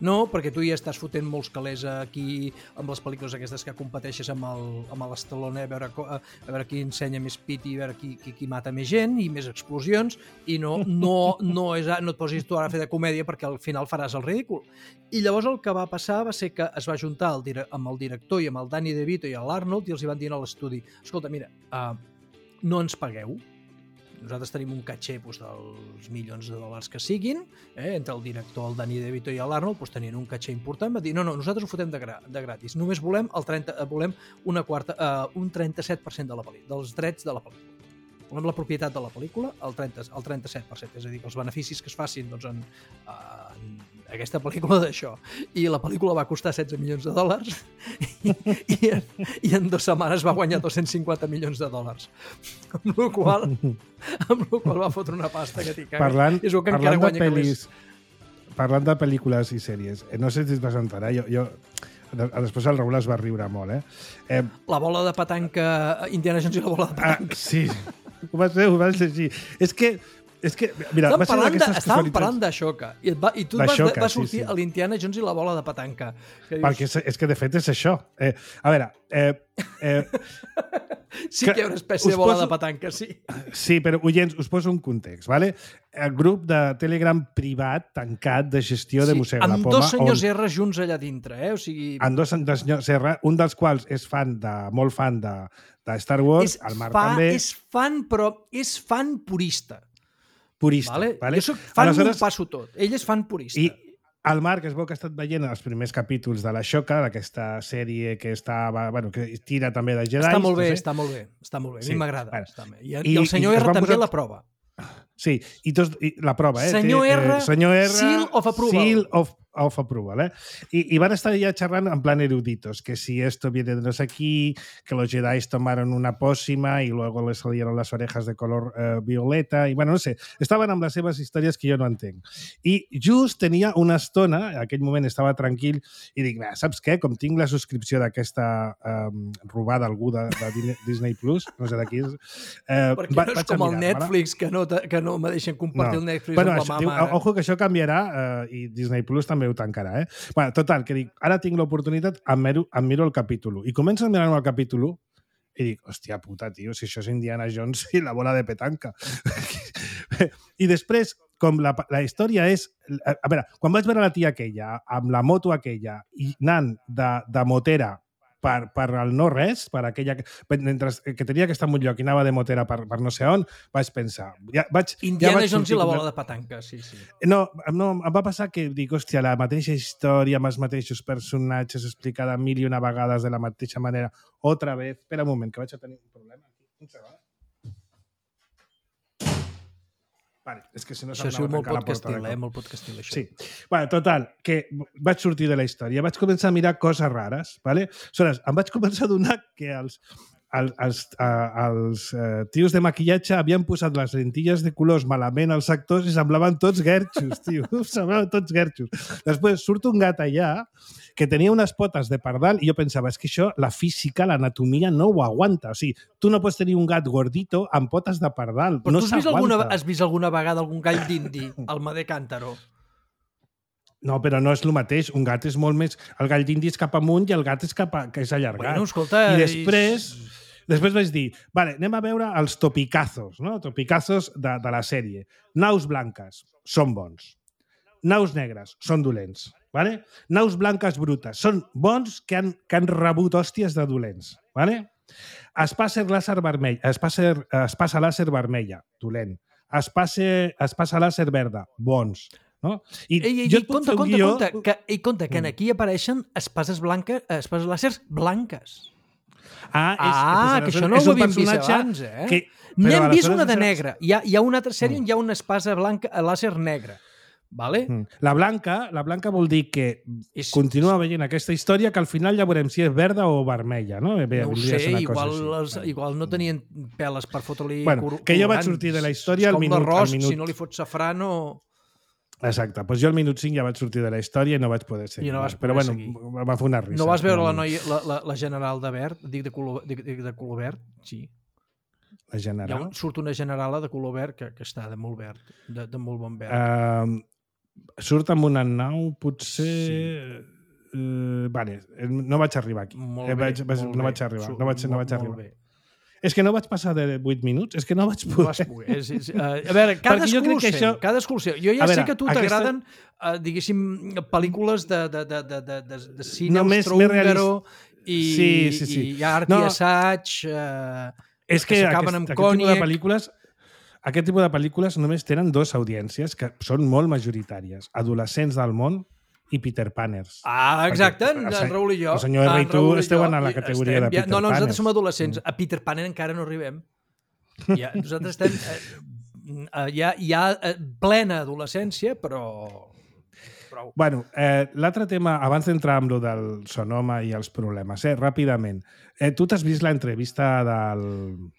No, perquè tu ja estàs fotent molts calés aquí amb les pel·lícules aquestes que competeixes amb el, amb l'Stallone a veure, a veure qui ensenya més pit i a veure qui, qui, qui mata més gent i més explosions i no, no, no, és, no et posis tu ara a fer de comèdia perquè al final faràs el ridícul. I llavors el que va passar va ser que es va juntar el, amb el director i amb el Danny DeVito i l'Arnold i els hi van dir a l'estudi, escolta, mira, uh, no ens pagueu, nosaltres tenim un caché doncs, dels milions de dòlars que siguin, eh? Entre el director, el Danny DeVito i l'Arnold doncs, tenien un caché important, va dir, no, no, nosaltres ho fotem de, gra de gratis, només volem, el trenta, volem una quarta, uh, un trenta-set per cent de la pel·lícula, dels drets de la pel·lícula. Volem la propietat de la pel·lícula, el, trenta, el trenta-set per cent, és a dir, que els beneficis que es facin doncs, en, en aquesta pel·lícula d'això. I la pel·lícula va costar setze milions de dòlars i, i, i en dues setmanes va guanyar dos-cents cinquanta milions de dòlars. Amb la qual amb la qual va fotre una pasta que t'hi caga. Parlant, és que parlant, encara de pel·lis, parlant de pel·lícules i sèries, no sé si et vas enterar, jo, jo després el Raül es va riure molt, eh? eh la bola de petanca, Indiana Jones i la bola de petanca. Ah, sí, ho vas fer, ho vas llegir. És que És que, mira, estàvem parlant, de, estàvem parlant d'això, i, et va, i tu va, vas, xoca, va sortir sí, sí. a l'Indiana Jones i la bola de petanca. Que dius... Perquè és, és que, de fet, és això. Eh, a veure... Eh, eh, sí que hi ha una espècie de bola poso... de petanca, sí. Sí, però, oients, us poso un context, ¿vale? El grup de Telegram privat tancat de gestió sí, de Mossega la Poma. Amb dos senyors on... R junts allà dintre, eh? O sigui... Amb dos senyors R, un dels quals és fan de, molt fan de, de Star Wars, és el Marc fa, també. És fan, però és fan purista. Purista, vale? vale? Jo soc fan, Aleshores, m'ho passo tot. Ell és fan purista. I el Marc es veu que ha estat veient els primers capítols de La Xoca, d'aquesta sèrie que està, bueno, que tira també de Jedi. Està molt bé, no sé. està molt bé. Està molt bé. A sí, mi m'agrada. bueno. I, I el senyor R també posar... la prova. Sí, i, tots, i la prova, eh? Senyor Té, R, eh, senyor R, seal of approval. Seal of, of approval, eh? I, I van estar ja xerrant en plan eruditos, que si esto viene de no sé aquí, que los Jedi tomaron una pócima y luego les salieron las orejas de color eh, violeta, i bueno, no sé, estaven amb les seves històries que jo no entenc. I just tenia una estona, en aquell moment estava tranquil, i dic, saps què? Com tinc la subscripció d'aquesta eh, robada algú de, de Disney Plus, no sé de qui és... Eh, Perquè va, no és com el Netflix, que no, que no me deixen compartir no. el Netflix bueno, amb això, la mama. Diu, ojo, que això canviarà eh, i Disney Plus també ho tancarà, eh? Bueno, total, que dic, ara tinc l'oportunitat, em miro, em miro el capítol u. I començo a mirar-me el capítol u i dic, hòstia puta, tio, si això és Indiana Jones i la bola de petanca. I després com la, la història és... A, a veure, quan vaig veure la tia aquella, amb la moto aquella, i anant de, de motera per, per el no res, per aquella... Mentre que tenia que estar en un lloc i anava de motera per, per no sé on, vaig pensar... Ja, vaig, Indiana ja vaig Jones i la com- bola de petanca, sí, sí. No, no, em va passar que dic, hòstia, la mateixa història amb els mateixos personatges explicada mil i una vegades de la mateixa manera. Otra vez. Espera un moment, que vaig a tenir un problema. Un segon. Vale, és que si no Això ha se'm sigut anava a molt tancar la porta podcastil, de eh? cop. Molt podcastil, això. Sí. Bueno, total, que vaig sortir de la història, vaig començar a mirar coses rares, ¿vale? Aleshores, em vaig començar a donar que els, els, els, uh, els uh, tios de maquillatge havien posat les lentilles de colors malament als actors i semblaven tots guerxos, tio. Semblaven tots guerxos. Després surt un gat allà que tenia unes potes de pardal i jo pensava, és que això, la física, l'anatomia no ho aguanta. O sigui, tu no pots tenir un gat gordito amb potes de pardal. Però no tu has vist, alguna, s'aguanta. has vist alguna vegada algun gall d'indi, el Madé Cántaro? No, però no és el mateix. Un gat és molt més... El gall d'indi és cap amunt i el gat és cap a... que és allargat. Bueno, escolta... I després... Després vaig dir, vale, anem a veure els topicazos, no? Topicazos de, de la sèrie. Naus blanques són bons. Naus negres són dolents. Vale? Naus blanques brutes són bons que han, que han rebut hòsties de dolents. Vale? Espacer làser vermell, espacer, espasa làser vermella, dolent. Espacer, espasa làser verda, bons. No? I Ei, ei, jo ei, et puc compte, fer un compte, guió... compte, que, ei, compte, que Mm. aquí apareixen espases blanques, espases làsers blanques. Ah, és, Ah, és, que això no és ho un havíem vist personatge abans, eh? Que, N'hem vist aleshores una de això- negra. Hi ha, hi ha una altra sèrie on hi ha una espasa blanca, làser negra. Vale? Mm. La blanca, la blanca vol dir que És- continua veient aquesta història que al final ja veurem si és verda o vermella, no? Bé, No ho vindria a sé, ser una igual, cosa els, així. igual no tenien peles per fotre-li Bueno, cor- que jo vaig colorants. sortir de la història És al com minut- l'arròs, al minut. si no li fots safrà, no... Exacte, doncs jo al minut cinc ja vaig sortir de la història i no vaig poder seguir. I no vas Però poder bueno, seguir. em va fer una risa. No vas veure la, No, noia, la, la, la general de verd? Dic de color, dic, dic de color verd? Sí. La Hi ha general. un, surt una generala de color verd que, que està de molt verd, de, de molt bon verd. Uh, surt amb una nau, potser... Sí. Uh, vale, no vaig arribar aquí. Molt Eh, bé, vaig, vaig, molt no bé. vaig arribar. Surt No vaig, no molt- vaig molt arribar. bé. És que no vaig passar de vuit minuts, és que no vaig No poder. vas poder. És, és, uh, a veure, cadascú jo crec ho que sé, això- cadascú ho sé. Jo ja A sé veure, que a tu aquesta- t'agraden, uh, diguéssim, pel·lícules de, de, de, de, de, de, de cine No, més- més austrohúngaro i, Sí, sí, sí. i art No. i assaig, uh, És que, que aquest, s'acaben amb aquest tipus de còniac. pel·lícules aquest tipus de pel·lícules només tenen dues audiències que són molt majoritàries. Adolescents del món i Peter Paners. Ah, exacte, Perquè en, el en se- Raül i jo. el senyor R i en tu Raül i esteu jo, en la i categoria estem de ja- Peter No, no, nosaltres Paners. som adolescents. Mm. A Peter Panner encara no arribem. Ja, nosaltres estem eh, eh, ja, ja eh, plena adolescència, però... Prou. Bueno, eh, l'altre tema, abans d'entrar amb lo del sonoma i els problemes, eh, ràpidament. Eh, tu t'has vist l'entrevista del...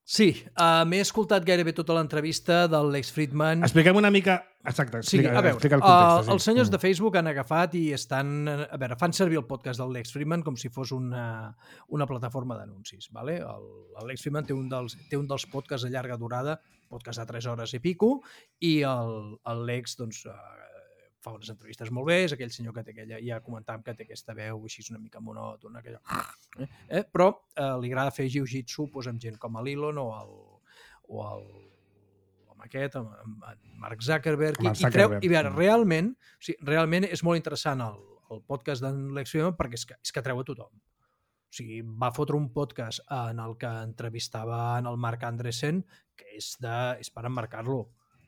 Sí, uh, m'he escoltat gairebé tota l'entrevista del Lex Friedman. Expliquem una mica... Exacte, Sí, explica, a veure, explica el uh, context. els senyors de Facebook han agafat i estan... A veure, fan servir el podcast del Lex Friedman com si fos una, una plataforma d'anuncis. Vale? El, el Lex Friedman té un, dels, té un dels podcasts de llarga durada, podcast de tres hores i pico, i el, el Lex doncs, uh, fa unes entrevistes molt bé, és aquell senyor que té aquella, ja comentàvem que té aquesta veu així una mica monòtona, aquella... Eh? Eh? Però eh, li agrada fer jiu-jitsu doncs, amb gent com l'Elon o el, o el amb aquest, amb, amb, amb Mark Zuckerberg, Amb i, el i, creu, Zuckerberg. i veure, realment, o sigui, realment és molt interessant el, el podcast d'en Lex Friedman perquè és que, és que treu a tothom. O sigui, va fotre un podcast en el que entrevistava en el Marc Andreessen, que és, de, és per emmarcar-lo.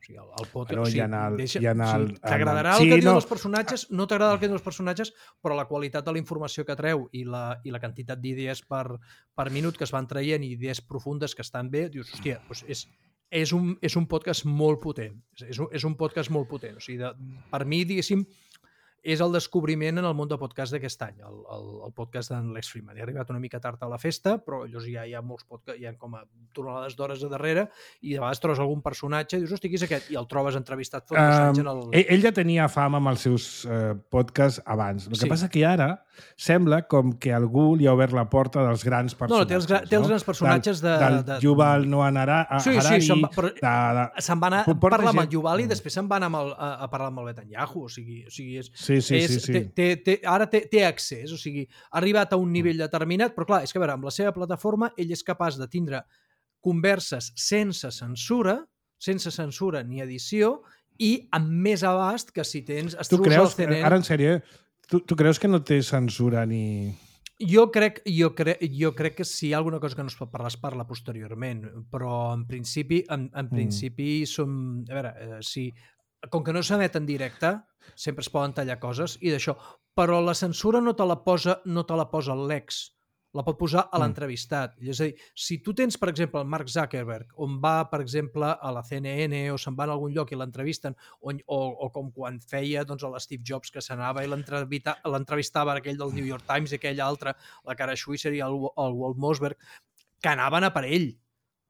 O sigui, el, el podcast... Bueno, o sigui, i en el- deixa, i en o el- sigui, t'agradarà en el- el que sí, diuen no. els personatges, no t'agrada el que diuen els personatges, però la qualitat de la informació que treu i la, i la quantitat d'idees per, per minut que es van traient i idees profundes que estan bé, dius, hòstia, doncs és, és, un, és un podcast molt potent. És, és, un, és un podcast molt potent. O sigui, de, per mi, diguéssim, és el descobriment en el món de podcast d'aquest any, el, el, el podcast d'en Lex Friedman. He arribat una mica tard a la festa, però llavors ja hi ha molts podcasts, hi ha com a tonelades d'hores a darrere, i de vegades trobes algun personatge i dius, hosti, qui és aquest? I el trobes entrevistat fa dos anys en el... Um, ell, ell ja tenia fama amb els seus uh, podcasts abans. El que Sí. passa que ara sembla com que algú li ha obert la porta dels grans No, no, personatges. té els, gra- té els grans personatges del, de... Del de, Yuval Noah Harari, Sí, sí, se'n va, però de, de... se'n va anar a Porta parlar amb el gent- Yuval i Mm. després se'n va anar amb el, a, a parlar amb el Netanyahu. O sigui, o sigui és, Sí, sí, és, sí, sí. Té, té, té, ara té, té accés, o sigui, ha arribat a un nivell determinat, però clar, és que a veure, amb la seva plataforma ell és capaç de tindre converses sense censura, sense censura ni edició, i amb més abast que si tens... Tu creus, ara en sèrio, tu, tu creus que no té censura ni... Jo crec, jo, crec, jo crec que si hi ha alguna cosa que no es pot parlar, es parla posteriorment, però en principi, en, en principi mm. som... A veure, eh, si, com que no s'emet en directe, sempre es poden tallar coses i d'això, però la censura no te la posa, no te la posa l'ex, la pot posar a l'entrevistat. Mm. És a dir, si tu tens, per exemple, el Mark Zuckerberg, on va, per exemple, a la C N N o se'n va a algun lloc i l'entrevisten, o, o, o com quan feia doncs, a l'Steve Jobs, que s'anava i l'entrevistava aquell del New York Times i aquell altre, la Kara Swisher i el, el Walt Mossberg, que anaven a per ell.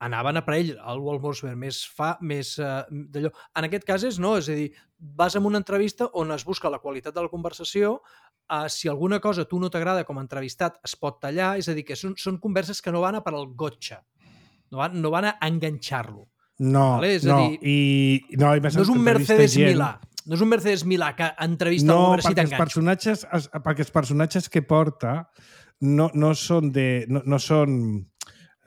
Anaven a per ell, el Walt Mossberg més fa, més uh, d'allò. En aquest cas és no, és a dir, vas a una entrevista on es busca la qualitat de la conversació. Uh, si alguna cosa a tu no t'agrada com a entrevistat es pot tallar, és a dir, que són, són converses que no van a per al gotcha, no van, no van a enganxar-lo. No, vale? És no, a dir, i, no, i no és un Mercedes gent... Milà, no és un Mercedes Milà que entrevista no, algú si t'enganxa. No, personatges, perquè els personatges que porta no, no són de... No, no són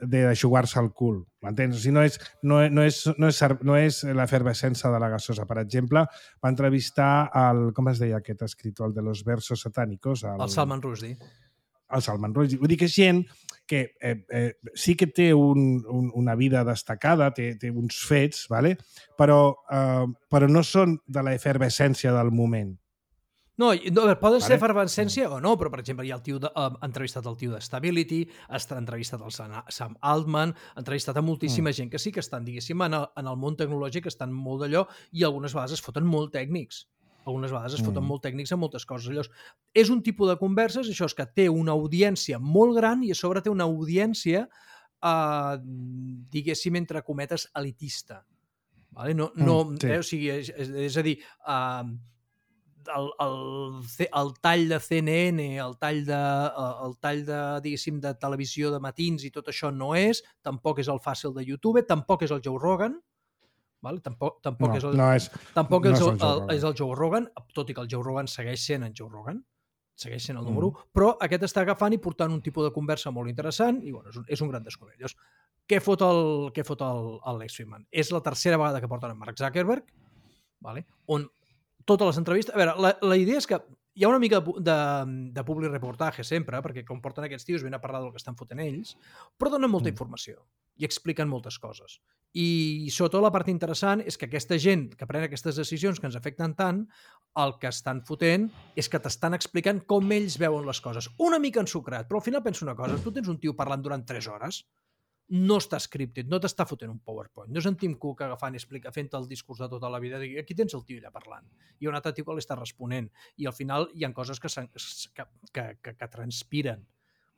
de jugar-se al cul, m'entens? O sigui, no és, no, no és, no és, no és l'efervescència de la gasosa. Per exemple, va entrevistar el, com es deia aquest escritor, el de los versos satánicos? El, el Salman Rushdie. El Salman Rushdie. Vull dir que és gent que eh, eh, sí que té un, un, una vida destacada, té, té uns fets, ¿vale? però, eh, però no són de l'efervescència del moment. No, no a veure, poden vale. ser efervescència o no, però, per exemple, hi ha el tio de, uh, entrevistat el tio de Stability, ha entrevistat el Sam Altman, ha entrevistat a moltíssima mm. gent que sí que estan, diguéssim, en el, en el món tecnològic, estan molt d'allò i algunes vegades es foten molt tècnics. Algunes vegades es foten mm. molt tècnics en moltes coses. Allò és un tipus de converses, això és que té una audiència molt gran i a sobre té una audiència, uh, diguéssim, entre cometes, elitista. Vale? No, no, mm, sí. eh, o sigui, és, és, és a dir... Uh, El, el, el tall de C N N, el tall de, el tall de, diguéssim, de televisió de matins i tot això no és, tampoc és el fàcil de YouTube, tampoc és el Joe Rogan, vale? tampoc, tampoc, no, és el, no és, tampoc no és, el, és, el el, és el Joe Rogan, tot i que el Joe Rogan segueix sent en Joe Rogan, segueix sent el número mm. un, però aquest està agafant i portant un tipus de conversa molt interessant i bueno, és, un, és un gran descobert. Llavors, què fot el, què fot el, el Lex Fridman? És la tercera vegada que porten en Mark Zuckerberg, vale? On totes les entrevistes... A veure, la, la idea és que hi ha una mica de, de public reportatge sempre, perquè com porten aquests tios ven a parlar del que estan fotent ells, però donen molta mm. informació i expliquen moltes coses. I sobretot la part interessant és que aquesta gent que pren aquestes decisions que ens afecten tant, el que estan fotent és que t'estan explicant com ells veuen les coses. Una mica ensucrat, però al final penso una cosa, tu tens un tio parlant durant tres hores, no està scripted, no t'està fotent un PowerPoint, no és en Tim Cook agafant i explica, fent el discurs de tota la vida, i aquí tens el tio allà parlant, i un altre tio que l'està responent, i al final hi ha coses que, que, que, que, que transpiren.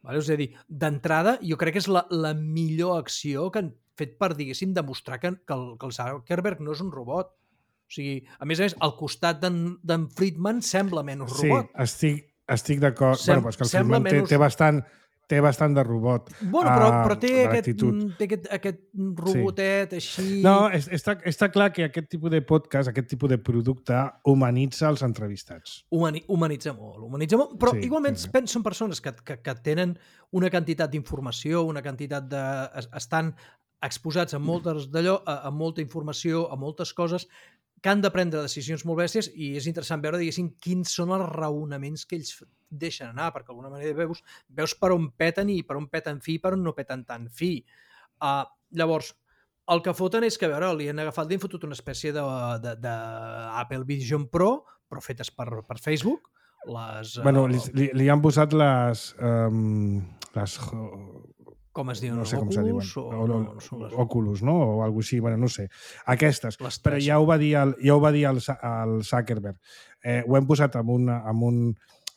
Vale? És a dir, d'entrada, jo crec que és la, la millor acció que han fet per, diguéssim, demostrar que, que, el, que el Zuckerberg no és un robot. O sigui, a més a més, al costat d'en Friedman sembla menys robot. Sí, estic, estic d'acord. Sem bueno, però és que el Friedman té, té bastant... té bastant de robot. Bueno, però, uh, però té, aquest, té aquest, aquest robotet sí. així... No, és, està, està clar que aquest tipus de podcast, aquest tipus de producte, humanitza els entrevistats. Humani, humanitza molt, humanitza molt, però sí, igualment sí, sí. són persones que, que, que tenen una quantitat d'informació, una quantitat de... estan exposats a moltes d'allò, a, a molta informació, a moltes coses, que han de prendre decisions molt bèsties i és interessant veure, diguéssim, quins són els raonaments que ells deixen anar, perquè d'alguna manera veus, veus per on peten i per on peten fi i per on no peten tant fi. Uh, llavors, el que foten és que, a veure, li han agafat, li han fotut una espècie d'Apple Vision Pro, però fetes per, per Facebook. Les, bueno, uh, li, li, li han posat les... Um, les com es diuen? No sé com Oculus? se diuen. O, o, no, no són les... Oculus, no? O alguna cosa així, bueno, no sé. Aquestes. Però ja ho va dir el, ja ho va dir el, el Zuckerberg. Eh, ho hem posat amb, una, amb, un,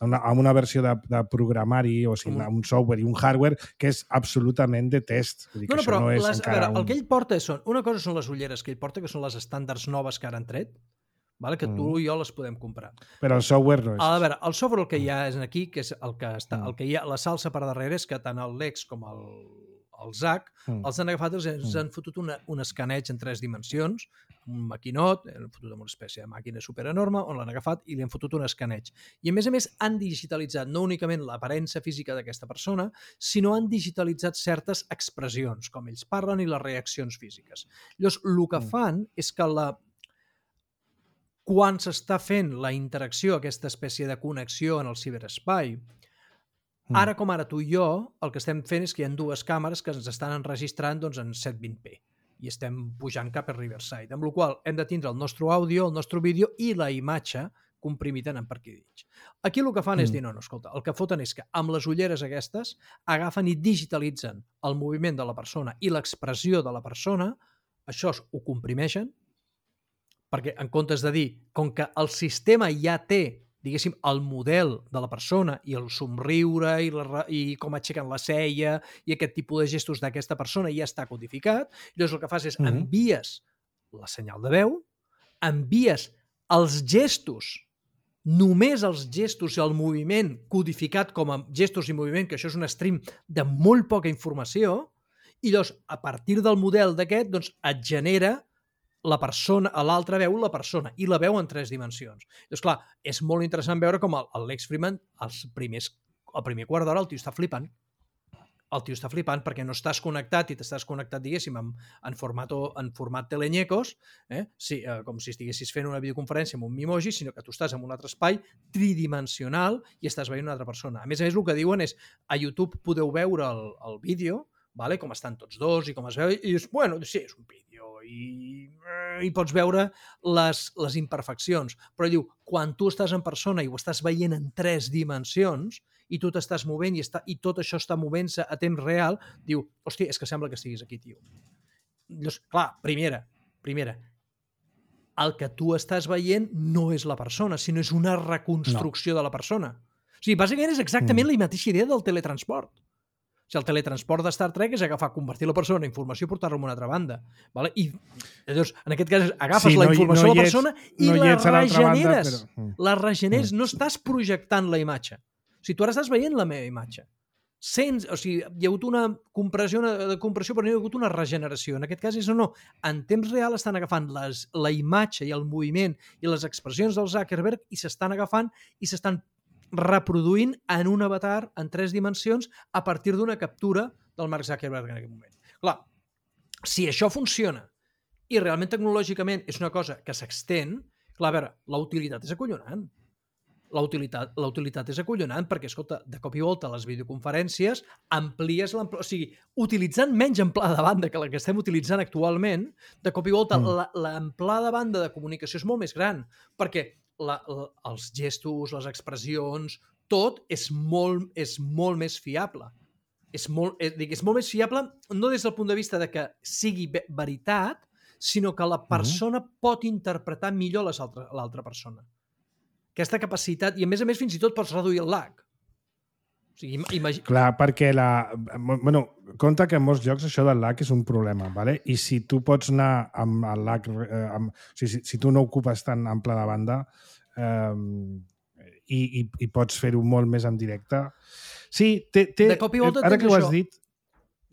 una, amb una versió de, de programari, o sigui, un... un software i un hardware que és absolutament de test. Vull dir no, no, que però no és les, encara a veure, un... el que ell porta són... Una cosa són les ulleres que ell porta, que són les estàndards noves que ara han tret, vale? Que tu mm. i jo les podem comprar. Però el software no és. A veure, el software el que hi ha és aquí, que és el que està, mm. el que hi ha, la salsa per darrere és que tant el Lex com el, el Zach, mm. els han agafat, els, els han fotut una, un escaneig en tres dimensions, un maquinot, han fotut amb una espècie de màquina superenorme, on l'han agafat i li han fotut un escaneig. I a més a més han digitalitzat no únicament l'aparença física d'aquesta persona, sinó han digitalitzat certes expressions, com ells parlen i les reaccions físiques. Llavors, el que fan és que la quan s'està fent la interacció, aquesta espècie de connexió en el ciberespai, ara com ara tu i jo, el que estem fent és que hi ha dues càmeres que ens estan enregistrant doncs, en set vint p i estem pujant cap a Riverside, amb la qual cosa hem de tindre el nostre àudio, el nostre vídeo i la imatge comprimit en per aquí dins. Aquí el que fan mm. és dir, no, no, escolta, el que foten és que amb les ulleres aquestes agafen i digitalitzen el moviment de la persona i l'expressió de la persona, això ho comprimeixen, perquè en comptes de dir, com que el sistema ja té, diguéssim, el model de la persona i el somriure i, la, i com aixequen la cella i aquest tipus de gestos d'aquesta persona ja està codificat, llavors el que fas és mm. envies la senyal de veu, envies els gestos, només els gestos i el moviment codificat com a gestos i moviment, que això és un stream de molt poca informació, i llavors, a partir del model d'aquest, doncs, et genera la persona, a l'altra veu la persona, i la veu en tres dimensions. Doncs clar, és molt interessant veure com el, el Lex Fridman, els primers, el primer quart d'hora, el tio està flipant. El tio està flipant perquè no estàs connectat i t'estàs connectat, diguéssim, en, en, format, en format telenyecos, eh? Sí, eh, com si estiguessis fent una videoconferència amb un Mimoji, sinó que tu estàs en un altre espai tridimensional i estàs veient una altra persona. A més a més, el que diuen és, a YouTube podeu veure el, el vídeo, vale? Com estan tots dos i com es veu, i és, bueno, sí, és un vídeo, i, i pots veure les, les imperfeccions, però diu, quan tu estàs en persona i ho estàs veient en tres dimensions, i tu t'estàs movent i, està, i tot això està movent-se a temps real, diu, hòstia, és que sembla que estiguis aquí, tio. Llavors, clar, primera, primera, el que tu estàs veient no és la persona, sinó és una reconstrucció no. de la persona. O sigui, bàsicament és exactament mm. la mateixa idea del teletransport. O sigui, el teletransport de Star Trek és agafar, convertir la persona en informació i portar-la a una altra banda. Vale? I llavors, en aquest cas, agafes sí, no, la informació no de la persona ets, i no la regeneres. Banda, però... La regeneres, mm. no estàs projectant la imatge. O sigui, tu ara estàs veient la meva imatge. Sents, o sigui, hi ha hagut una compressió, una, de compressió, però no hi ha hagut una regeneració. En aquest cas és o no. En temps real estan agafant les, la imatge i el moviment i les expressions del Zuckerberg i s'estan agafant i s'estan reproduint en un avatar en tres dimensions a partir d'una captura del Mark Zuckerberg en aquest moment. Clar, si això funciona i realment tecnològicament és una cosa que s'extén, clar, a veure, la utilitat és acollonant. La utilitat, la utilitat és acollonant perquè, escolta, de cop i volta a les videoconferències amplies l'amplada, o sigui, utilitzant menys amplada de banda que la que estem utilitzant actualment, de cop i volta mm. l'amplada de banda de comunicació és molt més gran, perquè la, la, els gestos, les expressions, tot és molt, és molt més fiable. És molt, és, dic, és molt més fiable no des del punt de vista de que sigui veritat, sinó que la persona mm. pot interpretar millor l'altra persona. Aquesta capacitat, i a més a més fins i tot pots reduir el lag. O sigui, imagi... Clar, perquè la... Bueno, compte que en molts llocs això del lag és un problema, ¿vale? I si tu pots anar amb el lag... Eh, amb... O sigui, si, si tu no ocupes tan ample de banda eh, i, i, i pots fer-ho molt més en directe... Sí, té... té... De cop i volta ara que ho has això. dit,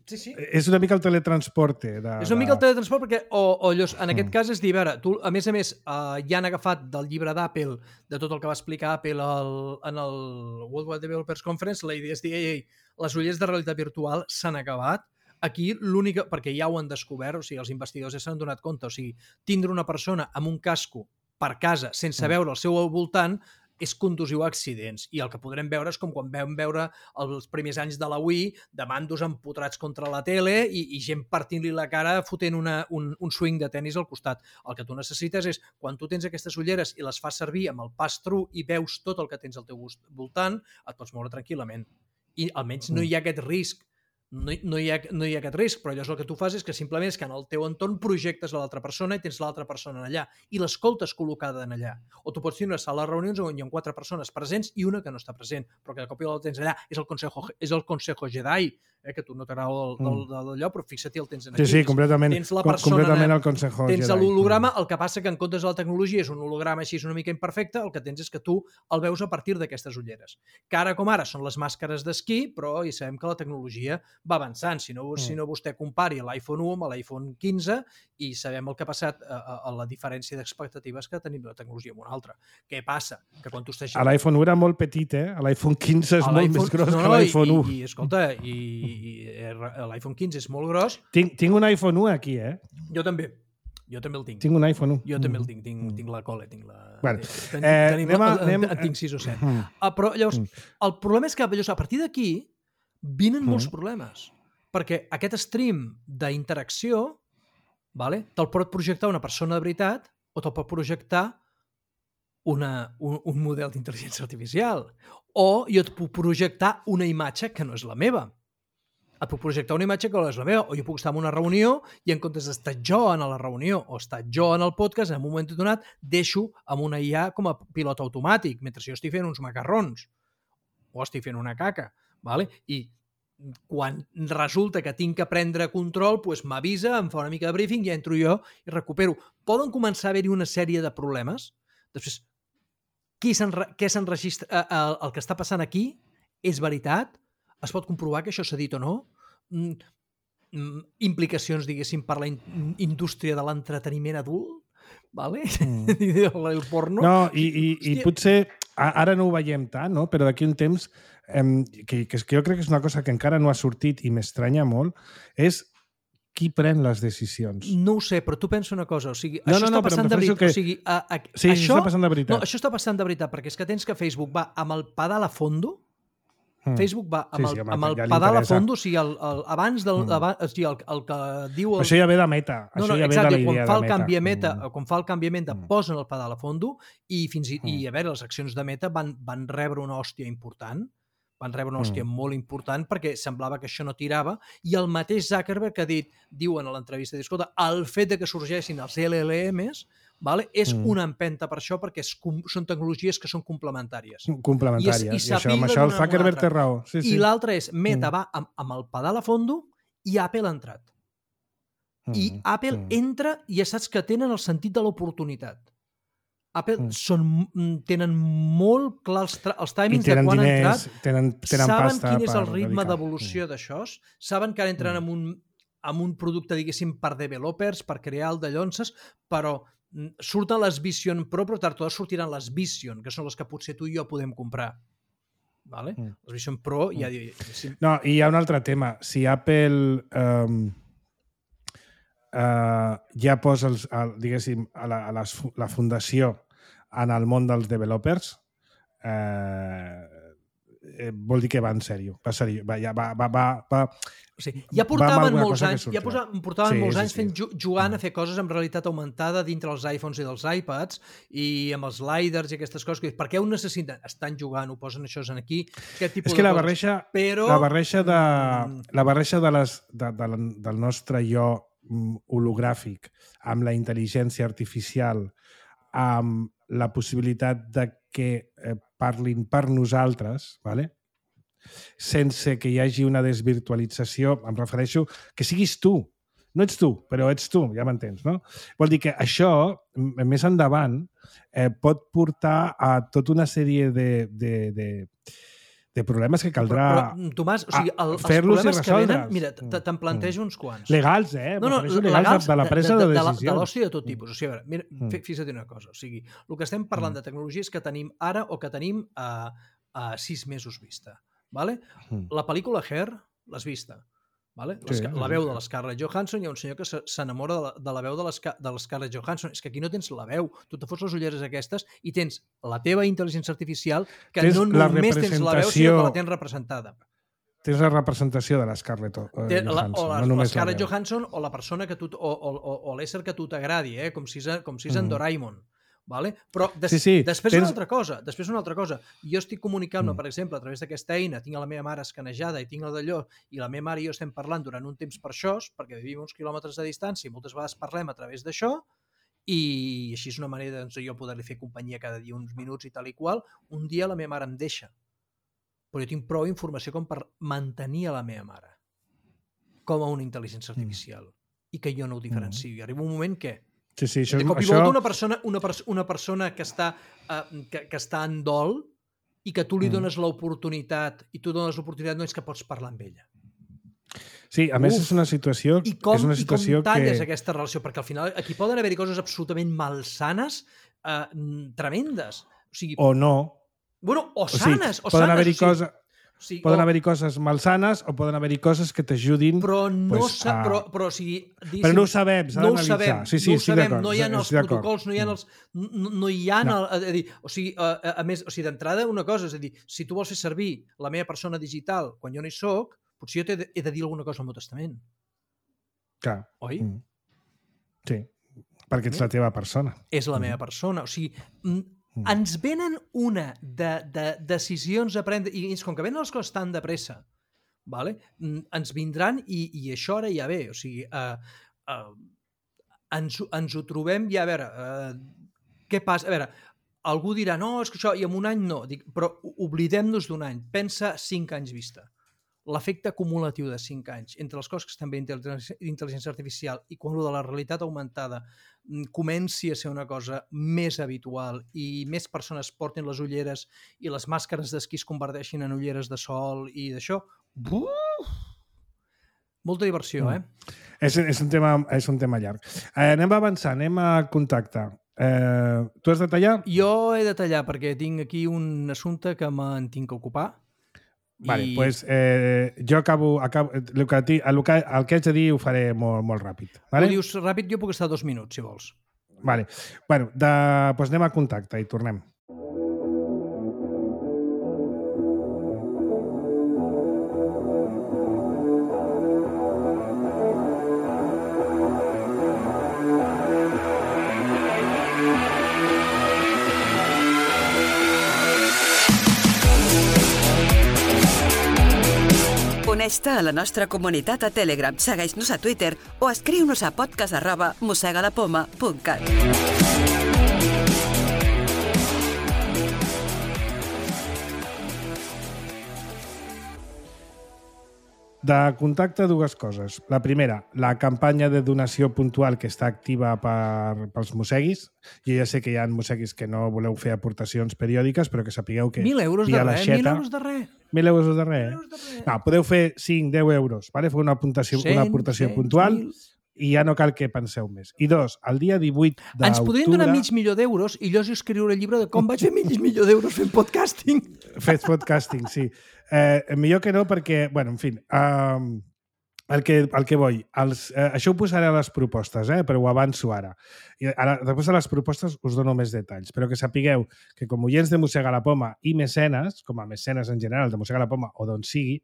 Sí, sí. és una mica el teletransporte. De, és una mica el teletransport perquè, o, o llavors, en aquest mm. cas és dir, a veure, tu, a més a més, uh, ja han agafat del llibre d'Apple, de tot el que va explicar Apple el, en el World Wide Developers Conference, la idea és dir, ei, ei, les ulleres de realitat virtual s'han acabat. Aquí l'única, perquè ja ho han descobert, o sigui, els investigadors ja s'han donat compte, o sigui, tindre una persona amb un casco per casa sense mm. veure el seu al voltant és condusiu a accidents. I el que podrem veure és com quan vam veure els primers anys de la Wii, de mandos empotrats contra la tele i, i gent partint-li la cara fotent una, un, un swing de tennis al costat. El que tu necessites és, quan tu tens aquestes ulleres i les fas servir amb el pass-through i veus tot el que tens al teu voltant, et pots moure tranquil·lament. I almenys no hi ha aquest risc. No, no, hi ha, no hi ha aquest risc, però llavors el que tu fas és que simplement és que en el teu entorn projectes a l'altra persona i tens l'altra persona allà i l'escoltes col·locada en allà. O tu pots tenir una sala de reunions on hi ha quatre persones presents i una que no està present, però que de cop i volta tens allà. És el Consejo, és el Consejo Jedi, eh, que tu no t'agrada d'allò, però fixa-t'hi el tens aquí. Sí, sí, completament. Tens la persona, completament el Consejo tens Jedi. Tens l'holograma, el que passa que en comptes de la tecnologia és un holograma així una mica imperfecte, el que tens és que tu el veus a partir d'aquestes ulleres. Que ara com ara són les màscares d'esquí, però ja sabem que la tecnologia va avançant. Si no, mm. si no vostè compari l'iPhone u amb l'iPhone quinze i sabem el que ha passat a, a, a la diferència d'expectatives que tenim de la tecnologia amb una altra. Què passa? Que quan tu estàs... A l'iPhone u era molt petit, eh? A l'iPhone quinze és a molt més gros no, que l'iPhone u. I, i, escolta, i, i l'iPhone quinze és molt gros. Tinc, tinc un iPhone u aquí, eh? Jo també. Jo també el tinc. Tinc un iPhone u. Jo també el tinc. Tinc, mm. tinc la cole, tinc la... Bueno, ten, eh, tenim, anem a- en, anem- en tinc sis o set. Mm. Uh, però llavors, el problema és que llavors, a partir d'aquí vinen Mm. molts problemes. Perquè aquest stream d'interacció, vale, te'l pot projectar una persona de veritat o te'l pot projectar una, un, un model d'intel·ligència artificial. O jo et puc projectar una imatge que no és la meva. Et puc projectar una imatge que no és la meva, o jo puc estar en una reunió i en comptes d'estar jo en la reunió o estar jo en el podcast, en un moment donat deixo amb una I A com a pilot automàtic, mentre jo estic fent uns macarrons o estic fent una caca, vale? I quan resulta que tinc que prendre control, doncs m'avisa, em fa una mica de briefing i entro jo i recupero. Poden començar a haver-hi una sèrie de problemes. Després, qui què s'enregistra, el, el que està passant aquí és veritat? Es pot comprovar que això s'ha dit o no? Mm, mm, implicacions, diguéssim, per la in indústria de l'entreteniment adult? Vale? Mm. El porno? No, i, i, i potser ara no ho veiem tant, no? Però d'aquí un temps, eh, que, que jo crec que és una cosa que encara no ha sortit i m'estranya molt, és qui pren les decisions. No ho sé, però tu pensa una cosa, o sigui, no, això no, està no, passant de veritat. Que... O sigui, a, a, sí, això, està passant de veritat. No, això està passant de veritat, perquè és que tens que Facebook va amb el pedal a fondo, mm. Facebook va amb sí, el, sí, home, amb el ja pedal a fondo, o sigui, el, el, abans del... Mm. Abans, o sigui, el, el que diu... El... Això ja ve de Meta. No, això no, ja exacte, ve de la quan idea fa, el de Meta. canvi a Meta, mm. quan fa el canvi a Meta, mm. posen el pedal a fondo i, fins i, mm. i a veure, les accions de Meta van, van rebre una hòstia important, van rebre una hòstia mm. molt important perquè semblava que això no tirava, i el mateix Zuckerberg ha dit, diuen a l'entrevista, escolta, el fet de que sorgeixin els L L Ms, vale, és mm. una empenta per això, perquè és, són tecnologies que són complementàries. Complementàries, i, és, i, i això, amb això el Zuckerberg té raó. Sí, sí. I l'altre és, Meta mm. va amb, amb el pedal a fondo i Apple ha entrat. Mm. I Apple mm. entra i ja saps que tenen el sentit de l'oportunitat. Apple mm. són, tenen molt clar els, els timings de quan diners, ha entrat, tenen, tenen saben pasta quin és el ritme dedicar. d'evolució mm. d'això, saben que ara entren mm. amb, un, amb un producte, diguéssim, per developers, per crear el de llonces, però surten les Vision Pro, però tard totes sortiran les Vision, que són les que potser tu i jo podem comprar. Vale? Mm. Les Vision Pro ja... Mm. No, i hi ha un altre tema. Si Apple... Um... Uh, ja posa els, el, diguéssim, a la, a les, la fundació en el món dels developers, eh, eh, vol dir que va en sèrio. Va, sèrio, va, ja va, va, va, va, o sigui, ja portaven molts anys, ja posa, portaven sí, molts sí, anys sí. fent, jugant a fer coses amb realitat augmentada dintre els iPhones i dels iPads i amb els lidars i aquestes coses. Per què ho necessiten? Estan jugant, ho posen això aquí. Aquest tipus és que de la coses. barreja, Però... la barreja, de, la barreja de les, de, de, del nostre jo hologràfic amb la intel·ligència artificial, amb la possibilitat de que eh, parlin per nosaltres, ¿vale? Sense que hi hagi una desvirtualització, em refereixo que siguis tu. No ets tu, però ets tu, ja m'entens, no? Vol dir que això, més endavant, eh, pot portar a tota una sèrie de, de, de, de problemes que caldrà però, però, Tomàs, o sigui, el, els problemes que venen, mira, te'n plantejo uns quants. Legals, eh? No, no, legals, legals de la presa de, de, de, de decisions. De l'oci de tot tipus. O sigui, a veure, mira, mm. fixa't una cosa. O sigui, el que estem parlant mm. de tecnologies que tenim ara o que tenim a, a sis mesos vista. Vale? Mm. La pel·lícula Hair l'has vista. Vale? Sí, la veu de l'Scarlett Johansson, hi ha un senyor que s'enamora de, la, de la veu de l'Scarlett Johansson. És que aquí no tens la veu. Tu te fots les ulleres aquestes i tens la teva intel·ligència artificial que tens no només tens la veu, sinó que la tens representada. Tens la representació de l'Scarlett eh, Johansson. O la, no l'Scarlett Johansson o la persona que tu, o, o, o, o l'ésser que tu t'agradi, eh? com si és, com si és mm. en Doraemon. Vale? Però des, sí, sí, després tens... una altra cosa, després una altra cosa. Jo estic comunicant-me, mm. per exemple, a través d'aquesta eina, tinc a la meva mare escanejada i tinc el d'allò, i la meva mare i jo estem parlant durant un temps per això, perquè vivim uns quilòmetres de distància i moltes vegades parlem a través d'això, i així és una manera doncs, jo poder-li fer companyia cada dia uns minuts i tal i qual. Un dia la meva mare em deixa, però jo tinc prou informació com per mantenir a la meva mare com a una intel·ligència artificial mm. i que jo no ho diferencio. Mm. I arriba un moment que Sí, sí, això, de cop i això... volta una persona, una, pers una persona que, està, uh, que, que està en dol i que tu li dones mm. l'oportunitat i tu dones l'oportunitat no és que pots parlar amb ella. Sí, a Uf. més és una situació, I com, és una situació i com talles que... aquesta relació? Perquè al final aquí poden haver-hi coses absolutament malsanes, uh, tremendes. O sigui, o no. Bueno, o sanes. O sigui, o poden haver-hi coses... Sí, poden o... haver-hi coses malsanes o poden haver-hi coses que t'ajudin... Però no, pues, sa... a... però, però, o sigui, però no ho sabem, s'ha no ho d'analitzar. sabem, Sí, sí, no ho estic sabem, d'acord. no hi ha els estic d'acord. protocols, no hi ha els... No, no hi ha... No. El, a dir, o sigui, a, a més, o sigui, d'entrada una cosa, és a dir, si tu vols fer servir la meva persona digital quan jo no hi soc, potser jo t'he de, he de dir alguna cosa al meu testament. Clar. Oi? Mm. Sí, perquè ets la teva persona. És la Mm. meva persona. O sigui, mm. ens venen una de, de decisions a prendre, i com que venen les coses tan de pressa, vale? ens vindran i, i això ara ja ve. O sigui, uh, uh, ens, ens ho trobem ja, a veure, uh, què passa? A veure, algú dirà, no, és que això, i en un any no. Dic, però oblidem-nos d'un any. Pensa cinc anys vista. L'efecte acumulatiu de cinc anys entre les coses que estan bé d'intel·ligència artificial i quan de la realitat augmentada comenci a ser una cosa més habitual i més persones portin les ulleres i les màscares d'esquí es converteixin en ulleres de sol i d'això, buf! Molta diversió, eh? Mm. És, és, un tema, és un tema llarg. Eh, anem a avançar, anem a contacte. Eh, tu has de tallar? Jo he de tallar perquè tinc aquí un assumpte que me'n tinc que ocupar. Vale, I... pues, eh, jo acabo, acabo el, que, el, que, el que haig de dir ho faré molt, molt ràpid. Vale? Tu dius ràpid, jo puc estar dos minuts, si vols. Vale. Bueno, de, pues anem a contacte i tornem. Uneix-te a la nostra comunitat a Telegram, segueix-nos a Twitter o escriu-nos a podcast arroba mosegalapoma punt cat. De contacte, dues coses. La primera, la campanya de donació puntual que està activa per, pels mosseguis. Jo ja sé que hi ha mosseguis que no voleu fer aportacions periòdiques, però que sapigueu que... Mil euros de res, mil euros de res. Mil euros de res. No, podeu fer cinc, deu euros, vale? Fer una aportació, una aportació puntual i ja no cal que penseu més. I dos, el dia divuit d'octubre... Ens podrien donar mig milió d'euros i jo us escriuré el llibre de com vaig fer mig milió d'euros fent podcasting. Fes podcasting, sí. Eh, millor que no perquè, bueno, en fi, um, el, que, el que vull, els, eh, això ho posaré a les propostes, eh, però ho avanço ara. I ara. Després de les propostes us dono més detalls, però que sapigueu que com oients de Mossega la Poma i mecenes, com a mecenes en general de Mossega la Poma o d'on sigui,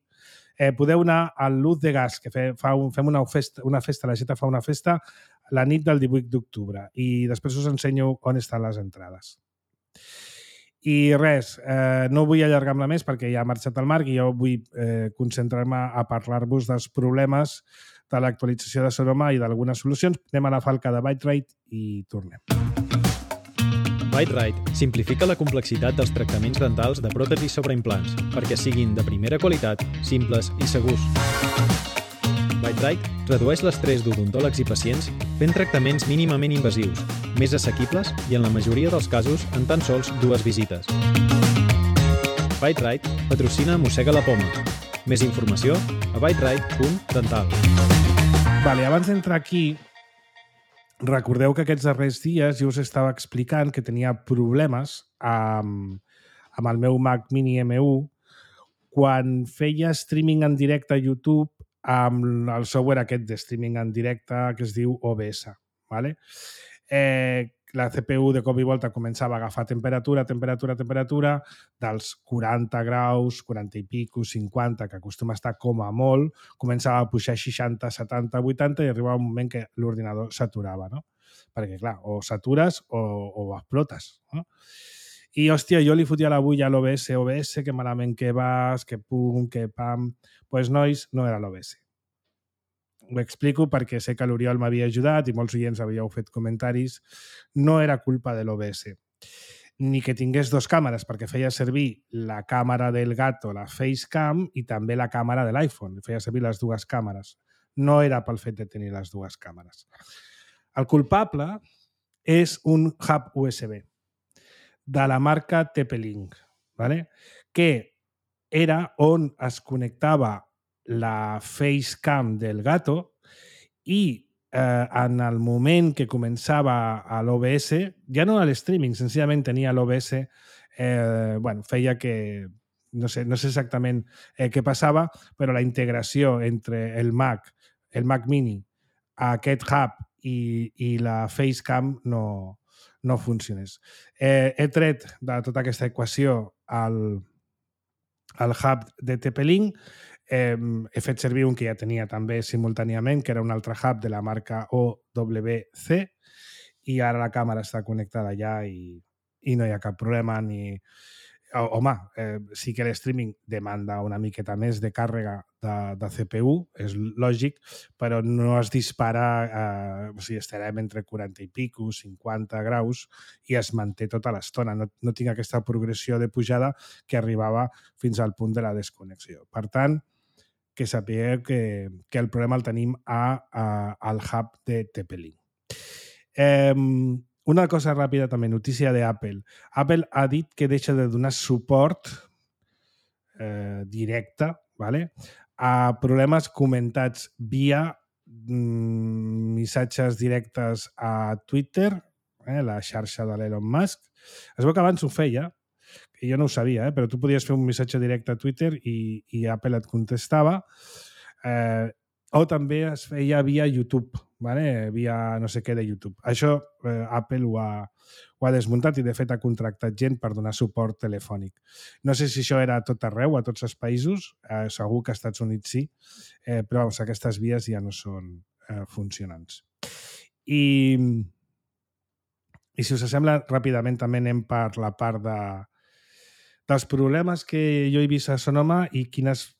eh, podeu anar al Luz de Gas, que fe, fa un, fem una festa, una festa, la Geta fa una festa la nit del divuit d'octubre i després us ensenyo on estan les entrades. I res, eh, no vull allargar-me més perquè ja ha marxat el Marc i jo vull eh, concentrar-me a parlar-vos dels problemes de l'actualització de Sonoma i d'algunes solucions. Anem a la falca de ByteRite i tornem. ByteRite simplifica la complexitat dels tractaments dentals de pròtesis sobre implants perquè siguin de primera qualitat, simples i segurs. ByteRite redueix l'estrès d'odontòlegs i pacients fent tractaments mínimament invasius, més assequibles i en la majoria dels casos en tan sols dues visites. ByteRite patrocina Mossega la Poma. Més informació a byterite punt dental. Vale, abans d'entrar aquí, recordeu que aquests darrers dies jo us estava explicant que tenia problemes amb, amb el meu Mac Mini M u quan feia streaming en directe a YouTube amb el software aquest de streaming en directe que es diu O B S. Vale? Eh, la C P U de cop i volta començava a agafar temperatura, temperatura, temperatura, dels quaranta graus, quaranta i pico, cinquanta, que acostuma a estar com a molt, començava a pujar seixanta, setanta, vuitanta i arribava un moment que l'ordinador s'aturava, no? Perquè, clar, o s'atures o, o explotes, no? I, hòstia, jo li fotia la bulla a l'O B S, O B S, que malament que vas, que pum, que pam... Doncs, pues, nois, no era l'O B S. Ho explico perquè sé que l'Oriol m'havia ajudat i molts oients havíeu fet comentaris. No era culpa de l'O B S. Ni que tingués dos càmeres, perquè feia servir la càmera del gato, la Facecam, i també la càmera de l'iPhone. Feia servir les dues càmeres. No era pel fet de tenir les dues càmeres. El culpable és un hub U S B de la marca T P-Link, ¿vale? Que era on es connectava la Facecam del gato i eh, en el moment que començava a l'O B S, ja no a l'streaming, senzillament tenia l'O B S, eh, bueno, feia que no sé, no sé exactament eh, què passava, però la integració entre el Mac, el Mac Mini, aquest hub i, i la Facecam no, no funcionés. Eh, he tret de tota aquesta equació el, el hub de T P-Link. Eh, he fet servir un que ja tenia també simultàniament, que era un altre hub de la marca O W C, i ara la càmera està connectada allà i, i no hi ha cap problema ni... Home, eh, sí que l'streaming demanda una miqueta més de càrrega de, de C P U, és lògic, però no es dispara, eh, o sigui, estarem entre quaranta i pico, cinquanta graus, i es manté tota l'estona. No, no tinc aquesta progressió de pujada que arribava fins al punt de la desconnexió. Per tant, que sapigueu que, que el problema el tenim a, a, al hub de T P-Link. Eh, Una cosa ràpida també, notícia d'Apple. Apple ha dit que deixa de donar suport eh, directe, ¿vale?, a problemes comentats via mm, missatges directes a Twitter, eh, la xarxa de l'Elon Musk. Es veu que abans ho feia, que jo no ho sabia, eh, però tu podies fer un missatge directe a Twitter i, i Apple et contestava. Eh, o també es feia via YouTube, ¿vale? Via no sé què de YouTube. Això eh, Apple ho ha, ho ha desmuntat i de fet ha contractat gent per donar suport telefònic. No sé si això era a tot arreu, a tots els països, eh, segur que als Estats Units sí, eh, però vamos, aquestes vies ja no són eh, funcionants. I, I si us sembla, ràpidament també anem per la part de, dels problemes que jo he vist a Sonoma i quines...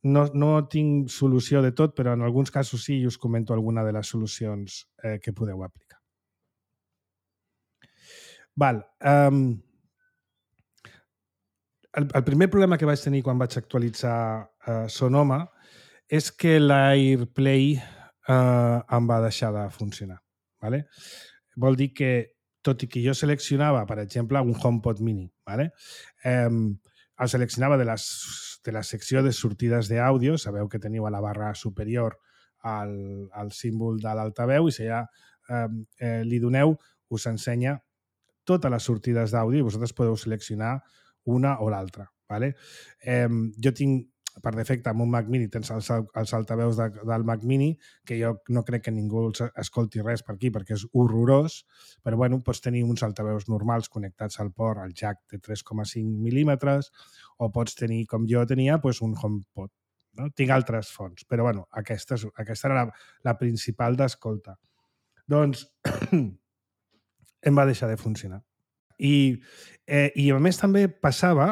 No, no tinc solució de tot, però en alguns casos sí i us comento alguna de les solucions eh, que podeu aplicar. Val. Um, el, el primer problema que vaig tenir quan vaig actualitzar uh, Sonoma és que l'AirPlay uh, em va deixar de funcionar. ¿Vale? Vol dir que, tot i que jo seleccionava, per exemple, un HomePod mini, ¿vale? Um, el seleccionava de, les, de la secció de sortides d'àudio, sabeu que teniu a la barra superior el, el símbol de l'altaveu i si ja eh, eh, li doneu, us ensenya totes les sortides d'àudio i vosaltres podeu seleccionar una o l'altra. ¿Vale? Eh, jo tinc, per defecte, amb un Mac Mini tens els, els altaveus de, del Mac Mini, que jo no crec que ningú escolti res per aquí perquè és horrorós, però bueno, pots tenir uns altaveus normals connectats al port, al jack de tres coma cinc mil·límetres, o pots tenir, com jo tenia, pues, un HomePod. No? Tinc altres fonts, però bueno, aquesta, aquesta era la, la principal d'escolta. Doncs em va deixar de funcionar. I, eh, I a més també passava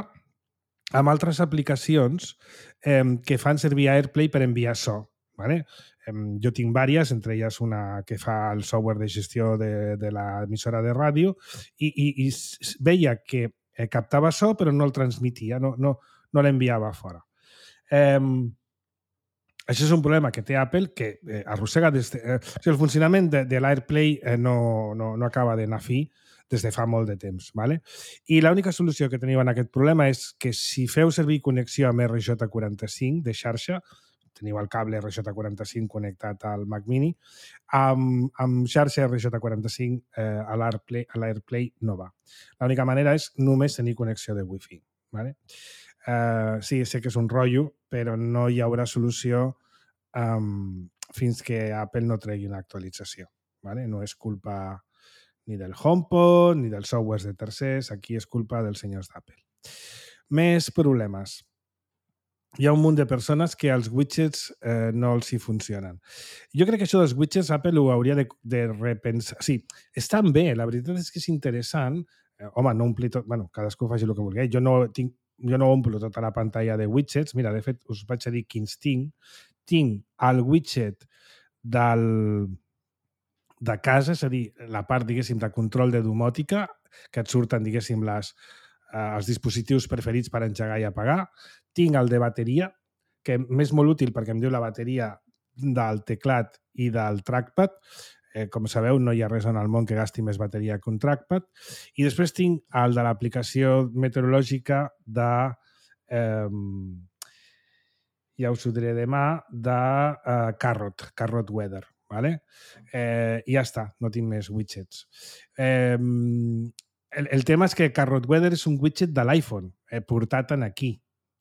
amb altres aplicacions eh, que fan servir AirPlay per enviar so. ¿Vale? Eh, jo tinc diverses, entre elles una que fa el software de gestió de, de l'emissora de ràdio i, i, i veia que eh, captava so però no el transmetia, no, no, no l'enviava fora. Eh, això és un problema que té Apple que eh, arrossega des de... Eh, o sigui, el funcionament de, de l'AirPlay eh, no, no, no acaba d'anar fi des de fa molt de temps. ¿Vale? I l'única solució que teniu en aquest problema és que si feu servir connexió amb R J quaranta-cinc de xarxa, teniu el cable R J quaranta-cinc connectat al Mac Mini, amb, amb xarxa R J quaranta-cinc eh, a l'AirPlay, a l'AirPlay no va. L'única manera és només tenir connexió de Wi-Fi. ¿Vale? Uh, sí, sé que és un rotllo, però no hi haurà solució um, fins que Apple no tregui una actualització. ¿Vale? No és culpa ni del HomePod, ni dels softwares de tercers, aquí és culpa dels senyors d'Apple. Més problemes. Hi ha un munt de persones que els widgets eh, no els hi funcionen. Jo crec que això dels widgets Apple ho hauria de, de repensar. Sí, estan bé, la veritat és que és interessant. Eh, home, no ompli tot... Bueno, cadascú faci el que vulgui. Jo no, tinc, jo no omplo tota la pantalla de widgets. Mira, de fet, us vaig a dir quins tinc. Tinc el widget del... de casa, és a dir, la part, diguéssim, de control de domòtica, que et surten, diguéssim, les, eh, els dispositius preferits per engegar i apagar. Tinc el de bateria, que m'és molt útil perquè em diu la bateria del teclat i del trackpad. Eh, com sabeu, no hi ha res en el món que gasti més bateria que un trackpad. I després tinc el de l'aplicació meteorològica de... Eh, ja us ho diré demà, de uh, Carrot, Carrot Weather. ¿Vale? Eh, I ja està, no tinc més widgets. Eh, el, el tema és que Carrot Weather és un widget de l'iPhone, eh, portat en aquí.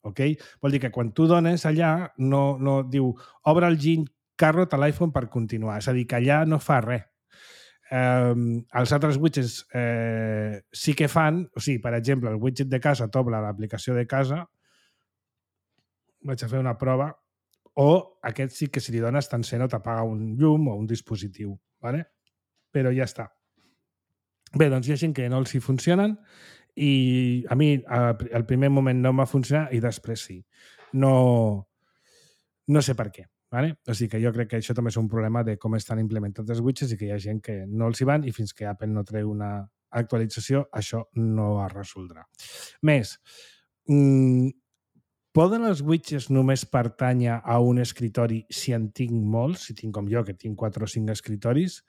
ok? Vol dir que quan tu dones allà, no, no diu, obre el Gin Carrot a l'iPhone per continuar. És a dir, que allà no fa res. Eh, els altres widgets eh, sí que fan, o sigui, per exemple, el widget de casa t'obre l'aplicació de casa, vaig a fer una prova, o aquest sí que si li dones t'encén o t'apaga un llum o un dispositiu, ¿vale? Però ja està. Bé, doncs hi ha gent que no els hi funcionen i a mi al primer moment no m'ha funcionat i després sí. No, no sé per què. Vale? O sigui que jo crec que això també és un problema de com estan implementats els widgets i que hi ha gent que no els hi van i fins que Apple no treu una actualització això no es resoldrà. Més, mmm, poden els widgets només pertànyer a un escritori si en tinc molts, si tinc com jo, que tinc quatre o cinc escritoris,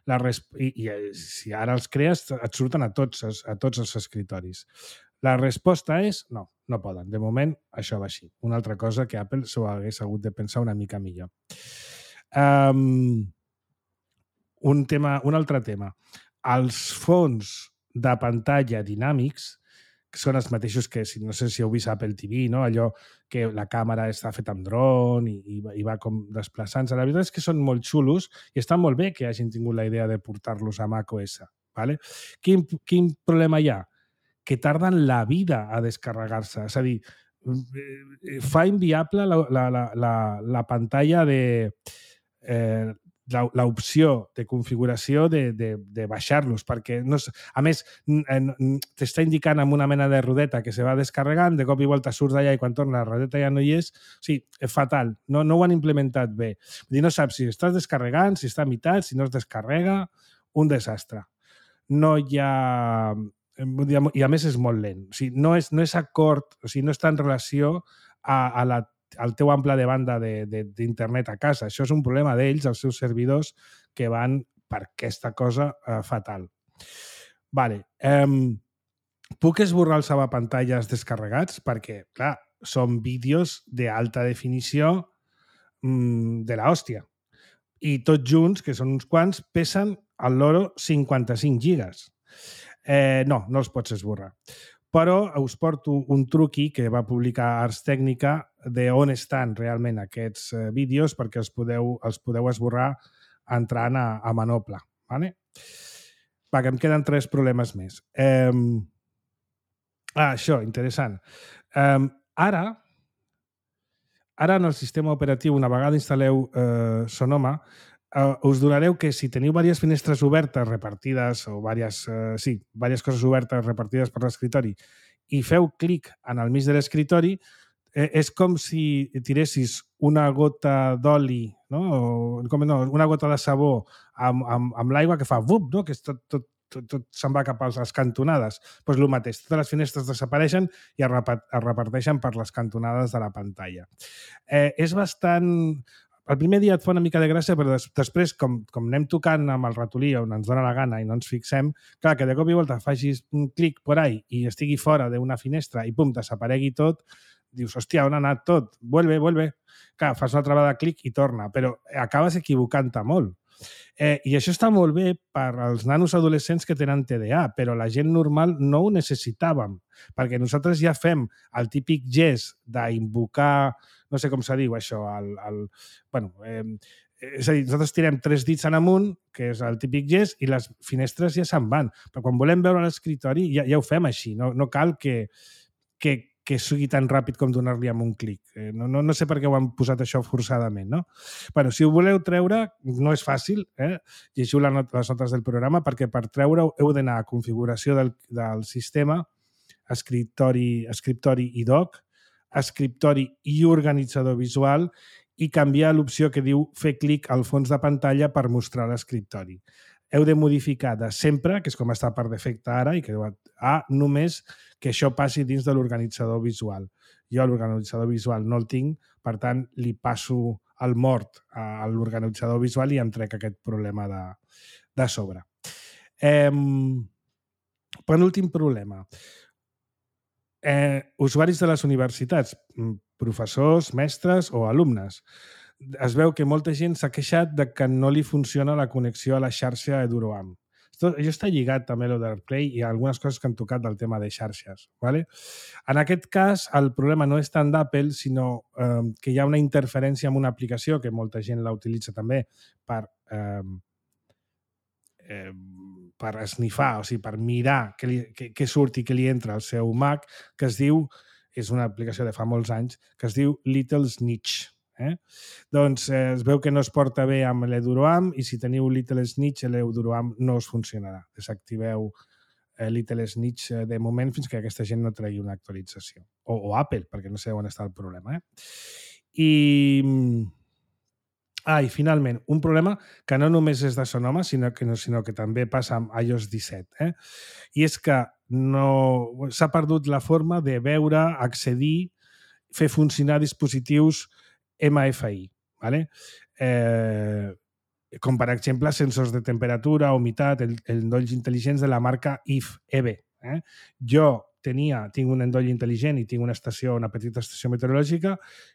la resp... I, i si ara els crees et surten a tots, a tots els escritoris. La resposta és no, no poden. De moment, això va així. Una altra cosa que Apple s'ho hagués hagut de pensar una mica millor. Um, un, tema, un altre tema. Els fons de pantalla dinàmics, que són els mateixos que, no sé si heu vist Apple T V, no? Allò que la càmera està feta amb dron i, i, i va com desplaçant-se. La veritat és que són molt xulos i està molt bé que hagin tingut la idea de portar-los a macOS. Vale? Quin, quin problema hi ha? Que tarden la vida a descarregar-se. És a dir, fa inviable la, la, la, la, la pantalla de... Eh, l'opció de configuració de, de, de baixar-los, perquè no, a més t'està indicant amb una mena de rodeta que se va descarregant, de cop i volta surts d'allà i quan torna la rodeta ja no hi és. O sigui, és fatal, no, no ho han implementat bé. Vull dir, no saps si estàs descarregant, si està a meitat, si no es descarrega, un desastre. No hi ha... I a més és molt lent. O sigui, no és, no és acord, o sigui, no està en relació a, a la el teu ample de banda d'internet a casa. Això és un problema d'ells, els seus servidors, que van per aquesta cosa eh, fatal. Vale. Um, puc esborrar els salvapantalles descarregats? Perquè, clar, són vídeos d'alta definició um, de l'hòstia. I tots junts, que són uns quants, pesen al loro cinquanta-cinc gigas. Eh, no, no els pots esborrar. Però us porto un truqui que va publicar Ars Technica de on estan realment aquests eh, vídeos perquè els podeu, els podeu esborrar entrant a, a Manople. Vale? Va, que em queden tres problemes més. Eh, ah, això, interessant. Eh, ara, ara en el sistema operatiu, una vegada instal·leu eh, Sonoma, Uh, us donareu que si teniu diverses finestres obertes repartides o diverses, uh, sí, diverses coses obertes repartides per l'escritori i feu clic en el mig de l'escritori, eh, és com si tiressis una gota d'oli, no? O, com, no, una gota de sabó amb, amb, amb l'aigua que fa vup, no? Que és tot, tot, tot, tot se'n va cap a les cantonades. Doncs pues el mateix, totes les finestres desapareixen i es, repart, es reparteixen per les cantonades de la pantalla. Eh, és bastant... El primer dia et fa una mica de gràcia, però des, després, com, com anem tocant amb el ratolí on ens dona la gana i no ens fixem, clar, que de cop i volta facis un clic por ahí i estigui fora d'una finestra i pum, desaparegui tot, dius, hòstia, on ha anat tot? Vuelve, vuelve. Clar, fas una altra vegada clic i torna, però acabes equivocant-te molt. Eh, I això està molt bé per als nanos adolescents que tenen T D A, però la gent normal no ho necessitàvem, perquè nosaltres ja fem el típic gest d'invocar, no sé com se diu això, el, el, bueno, eh, és a dir, nosaltres tirem tres dits en amunt, que és el típic gest, i les finestres ja se'n van. Però quan volem veure l'escritori ja, ja ho fem així, no, no cal que, que, que sigui tan ràpid com donar-li amb un clic. Eh, no, no, no sé per què ho han posat això forçadament, no? Bueno, si ho voleu treure, no és fàcil, eh? Llegiu les notes del programa, perquè per treure-ho heu d'anar a configuració del, del sistema, escriptori, escriptori i doc, escriptori i organitzador visual i canviar l'opció que diu fer clic al fons de pantalla per mostrar l'escriptori. Heu de modificar de sempre, que és com està per defecte ara, i que a només que això passi dins de l'organitzador visual. Jo l'organitzador visual no el tinc, per tant, li passo el mort a l'organitzador visual i em trec aquest problema de, de sobre. Eh, penúltim problema. Eh, usuaris de les universitats, professors, mestres o alumnes. Es veu que molta gent s'ha queixat de que no li funciona la connexió a la xarxa EduroAM. Tot, això està lligat també a lo d'AirPlay i a algunes coses que han tocat del tema de xarxes. ¿Vale? En aquest cas, el problema no és tant d'Apple, sinó eh, que hi ha una interferència amb una aplicació que molta gent la utilitza també per, eh, eh, per esnifar, o sigui, per mirar què, li, què, què surt i què li entra al seu Mac, que es diu, és una aplicació de fa molts anys, que es diu Little Snitch. Eh? Doncs eh, es veu que no es porta bé amb l'EduroAM i si teniu Little Snitch, l'EduroAM no us funcionarà. Desactiveu eh, Little Snitch eh, de moment fins que aquesta gent no tregui una actualització. O, o Apple, perquè no sé on està el problema. Eh? I... Ah, i finalment, un problema que no només és de Sonoma, sinó que, sinó que també passa amb iOS disset. Eh? I és que no s'ha perdut la forma de veure, accedir, fer funcionar dispositius M F I. ¿Vale? Eh, com, per exemple, sensors de temperatura, humitat, el, el endolls intel·ligents de la marca I F E V. Eh? Jo tenia, tinc un endoll intel·ligent i tinc una estació, una petita estació meteorològica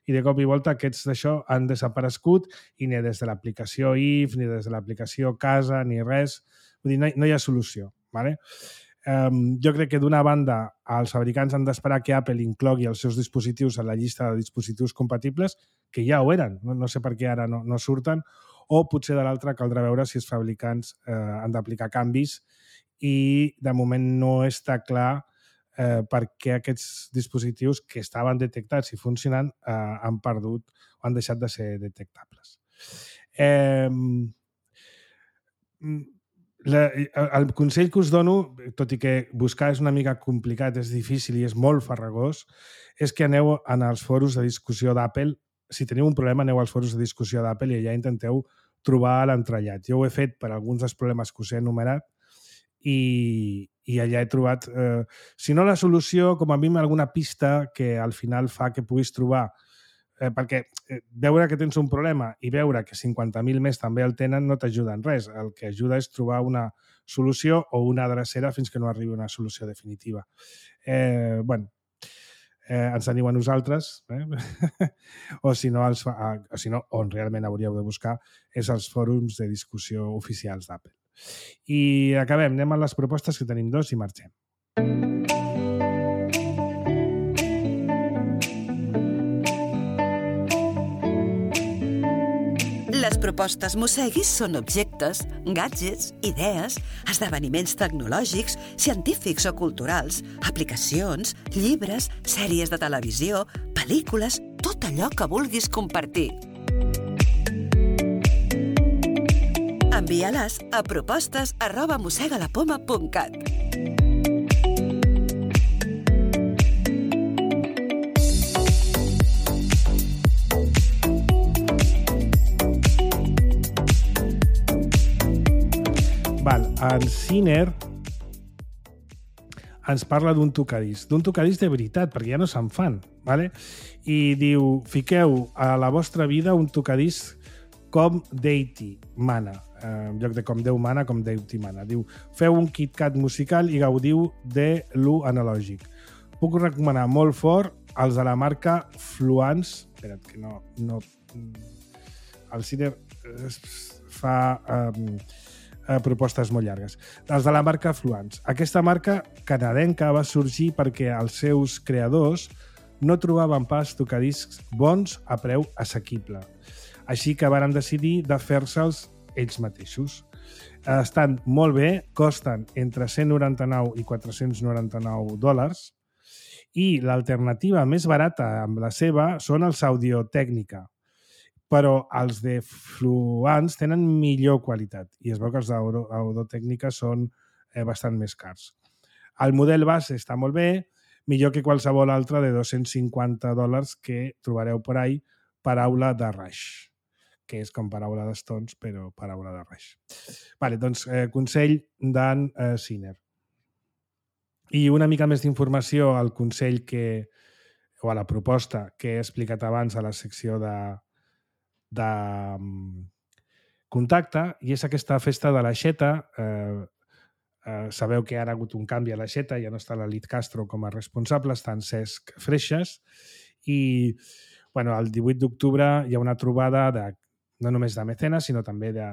i de cop i volta aquests d'això han desaparegut i ni des de l'aplicació I F, ni des de l'aplicació Casa, ni res. Vull dir, no hi, no hi ha solució. ¿Vale? Um, jo crec que d'una banda els fabricants han d'esperar que Apple inclogui els seus dispositius a la llista de dispositius compatibles, que ja ho eren, no, no sé per què ara no, no surten, o potser de l'altra caldrà veure si els fabricants eh, han d'aplicar canvis i de moment no està clar eh, perquè aquests dispositius que estaven detectats i funcionant eh, han perdut o han deixat de ser detectables. Eh, la, el consell que us dono, tot i que buscar és una mica complicat, és difícil i és molt farragós, és que aneu en els foros de discussió d'Apple. Si teniu un problema, aneu als foros de discussió d'Apple i allà intenteu trobar l'entrellat. Jo ho he fet per alguns dels problemes que us he enumerat i, i allà he trobat, eh, si no la solució, com a mínim alguna pista que al final fa que puguis trobar, eh, perquè eh, veure que tens un problema i veure que cinquanta mil més també el tenen no t'ajuda en res. El que ajuda és trobar una solució o una adrecera fins que no arribi una solució definitiva. Eh, bueno, eh, ens teniu a nosaltres, eh? o, si no, els, o si no, on realment hauríeu de buscar és els fòrums de discussió oficials d'Apple. I acabem, anem a les propostes, que tenim dos i marxem. Les propostes Mosseguis són objectes, gadgets, idees, esdeveniments tecnològics, científics o culturals, aplicacions, llibres, sèries de televisió, pel·lícules, tot allò que vulguis compartir. Envia-les a propostes arroba mossegalapoma punt cat. Val, en Ciner ens parla d'un tocadís, d'un tocadís de veritat, perquè ja no se'n fan, ¿vale? I diu, fiqueu a la vostra vida un tocadís com Deity mana, eh, en lloc de com Déu mana, com Deity mana. Diu, feu un KitKat musical i gaudiu de l'U analògic. Puc recomanar molt fort els de la marca Fluence. Espera't, que no... no el Ciner fa... Um, propostes molt llargues. Els de la marca Fluence. Aquesta marca canadenca va sorgir perquè els seus creadors no trobaven pas tocadiscs bons a preu assequible. Així que varen decidir de fer-se'ls ells mateixos. Estan molt bé, costen entre cent noranta-nou i quatre-cents noranta-nou dòlars i l'alternativa més barata amb la seva són els Audio-Tècnica, però els de Fluence tenen millor qualitat i es veu que els d'Audio-Tècnica són eh, bastant més cars. El model base està molt bé, millor que qualsevol altre de dos-cents cinquanta dòlars que trobareu per ahí, paraula de Rush, que és com paraula de Stones, però paraula de Rush. Vale, doncs, eh, consell d'en eh, Ciner. I una mica més d'informació al consell que, o a la proposta que he explicat abans a la secció de de contacte, i és aquesta festa de l'Aixeta. Eh, eh, sabeu que ara ha hagut un canvi a l'Aixeta, ja no està l'Elit Castro com a responsable, està en Cesc Freixas, i bueno, el divuit d'octubre hi ha una trobada de, no només de mecenes, sinó també de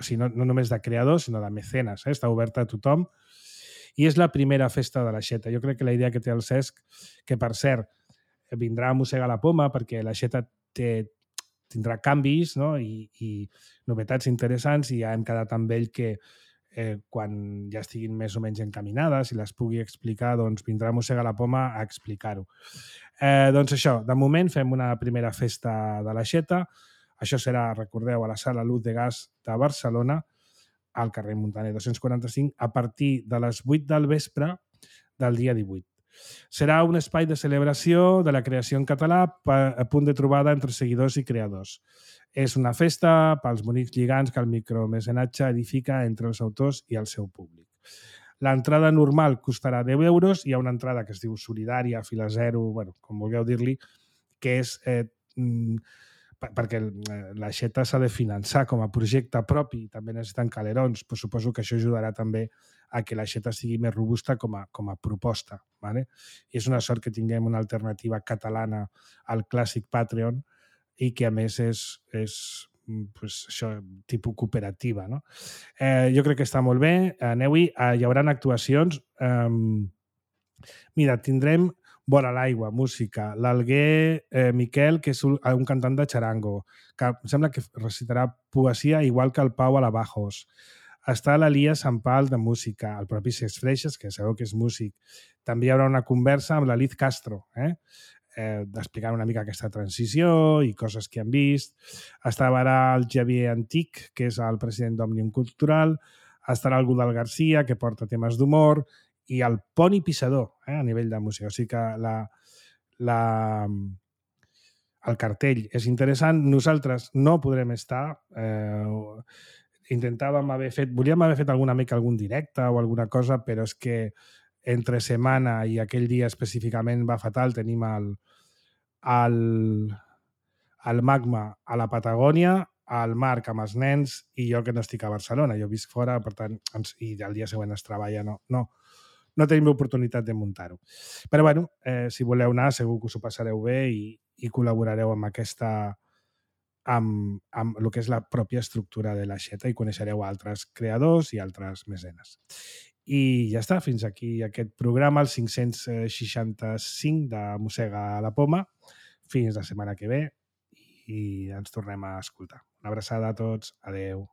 o sigui, no, no només de creadors, sinó de mecenes, eh? Està oberta a tothom, i és la primera festa de l'Aixeta. Jo crec que la idea que té el Cesc, que per cert, vindrà a mossegar la poma, perquè l'Aixeta té, tindrà canvis, no? I, i novetats interessants, i ja hem quedat amb ell que eh, quan ja estiguin més o menys encaminades i les pugui explicar, doncs vindrà a mossegar la poma a explicar-ho. Eh, doncs això, de moment fem una primera festa de l'Aixeta. Això serà, recordeu, a la Sala Luz de Gas de Barcelona, al carrer Muntaner dos-cents quaranta-cinc, a partir de les vuit del vespre del dia divuit. Serà un espai de celebració de la creació en català, a punt de trobada entre seguidors i creadors. És una festa pels bonics lligants que el micromecenatge edifica entre els autors i el seu públic. L'entrada normal costarà deu euros, hi ha una entrada que es diu solidària, fila zero, bueno, com vulgueu dir-li, que és eh, perquè l'Aixeta s'ha de finançar com a projecte propi, també necessiten calerons, però suposo que això ajudarà també a que l'Aixeta sigui més robusta com a, com a proposta. ¿Vale? I és una sort que tinguem una alternativa catalana al clàssic Patreon i que a més és, és pues, això, tipus cooperativa. No? Eh, jo crec que està molt bé. Aneu-hi, eh, hi haurà actuacions. Eh, mira, tindrem Vora l'aigua, música. L'Alguer eh, Miquel, que és un, un cantant de charango, que em sembla que recitarà poesia igual que el Pau Alabajos. Està l'Elias Sampal de música, el propi Cesc Freixas, que sabeu que és músic. També hi haurà una conversa amb la Liz Castro, eh? Eh, d'explicar una mica aquesta transició i coses que han vist. Estarà el Javier Antic, que és el president d'Òmnium Cultural. Estarà el Godal Garcia, que porta temes d'humor, i el Poni Pissador, eh, a nivell de música. O sigui que la, la, el cartell és interessant. Nosaltres no podrem estar. Eh, intentàvem haver fet... Volíem haver fet alguna mica algun directe o alguna cosa, però és que entre setmana i aquell dia específicament va fatal. Tenim el, el, el Magma a la Patagònia, el Marc amb els nens i jo que no estic a Barcelona. Jo visc fora, per tant, i el dia següent es treballa. No, no. No tenim l'oportunitat de muntar-ho. Però, bueno, eh, si voleu anar, segur que us ho passareu bé i, i col·laborareu amb aquesta... amb, amb el que és la pròpia estructura de l'Aixeta i coneixereu altres creadors i altres mecenes. I ja està, fins aquí aquest programa, el cinc-cents seixanta-cinc de Mossega la Poma. Fins la setmana que ve i ens tornem a escoltar. Una abraçada a tots. Adeu.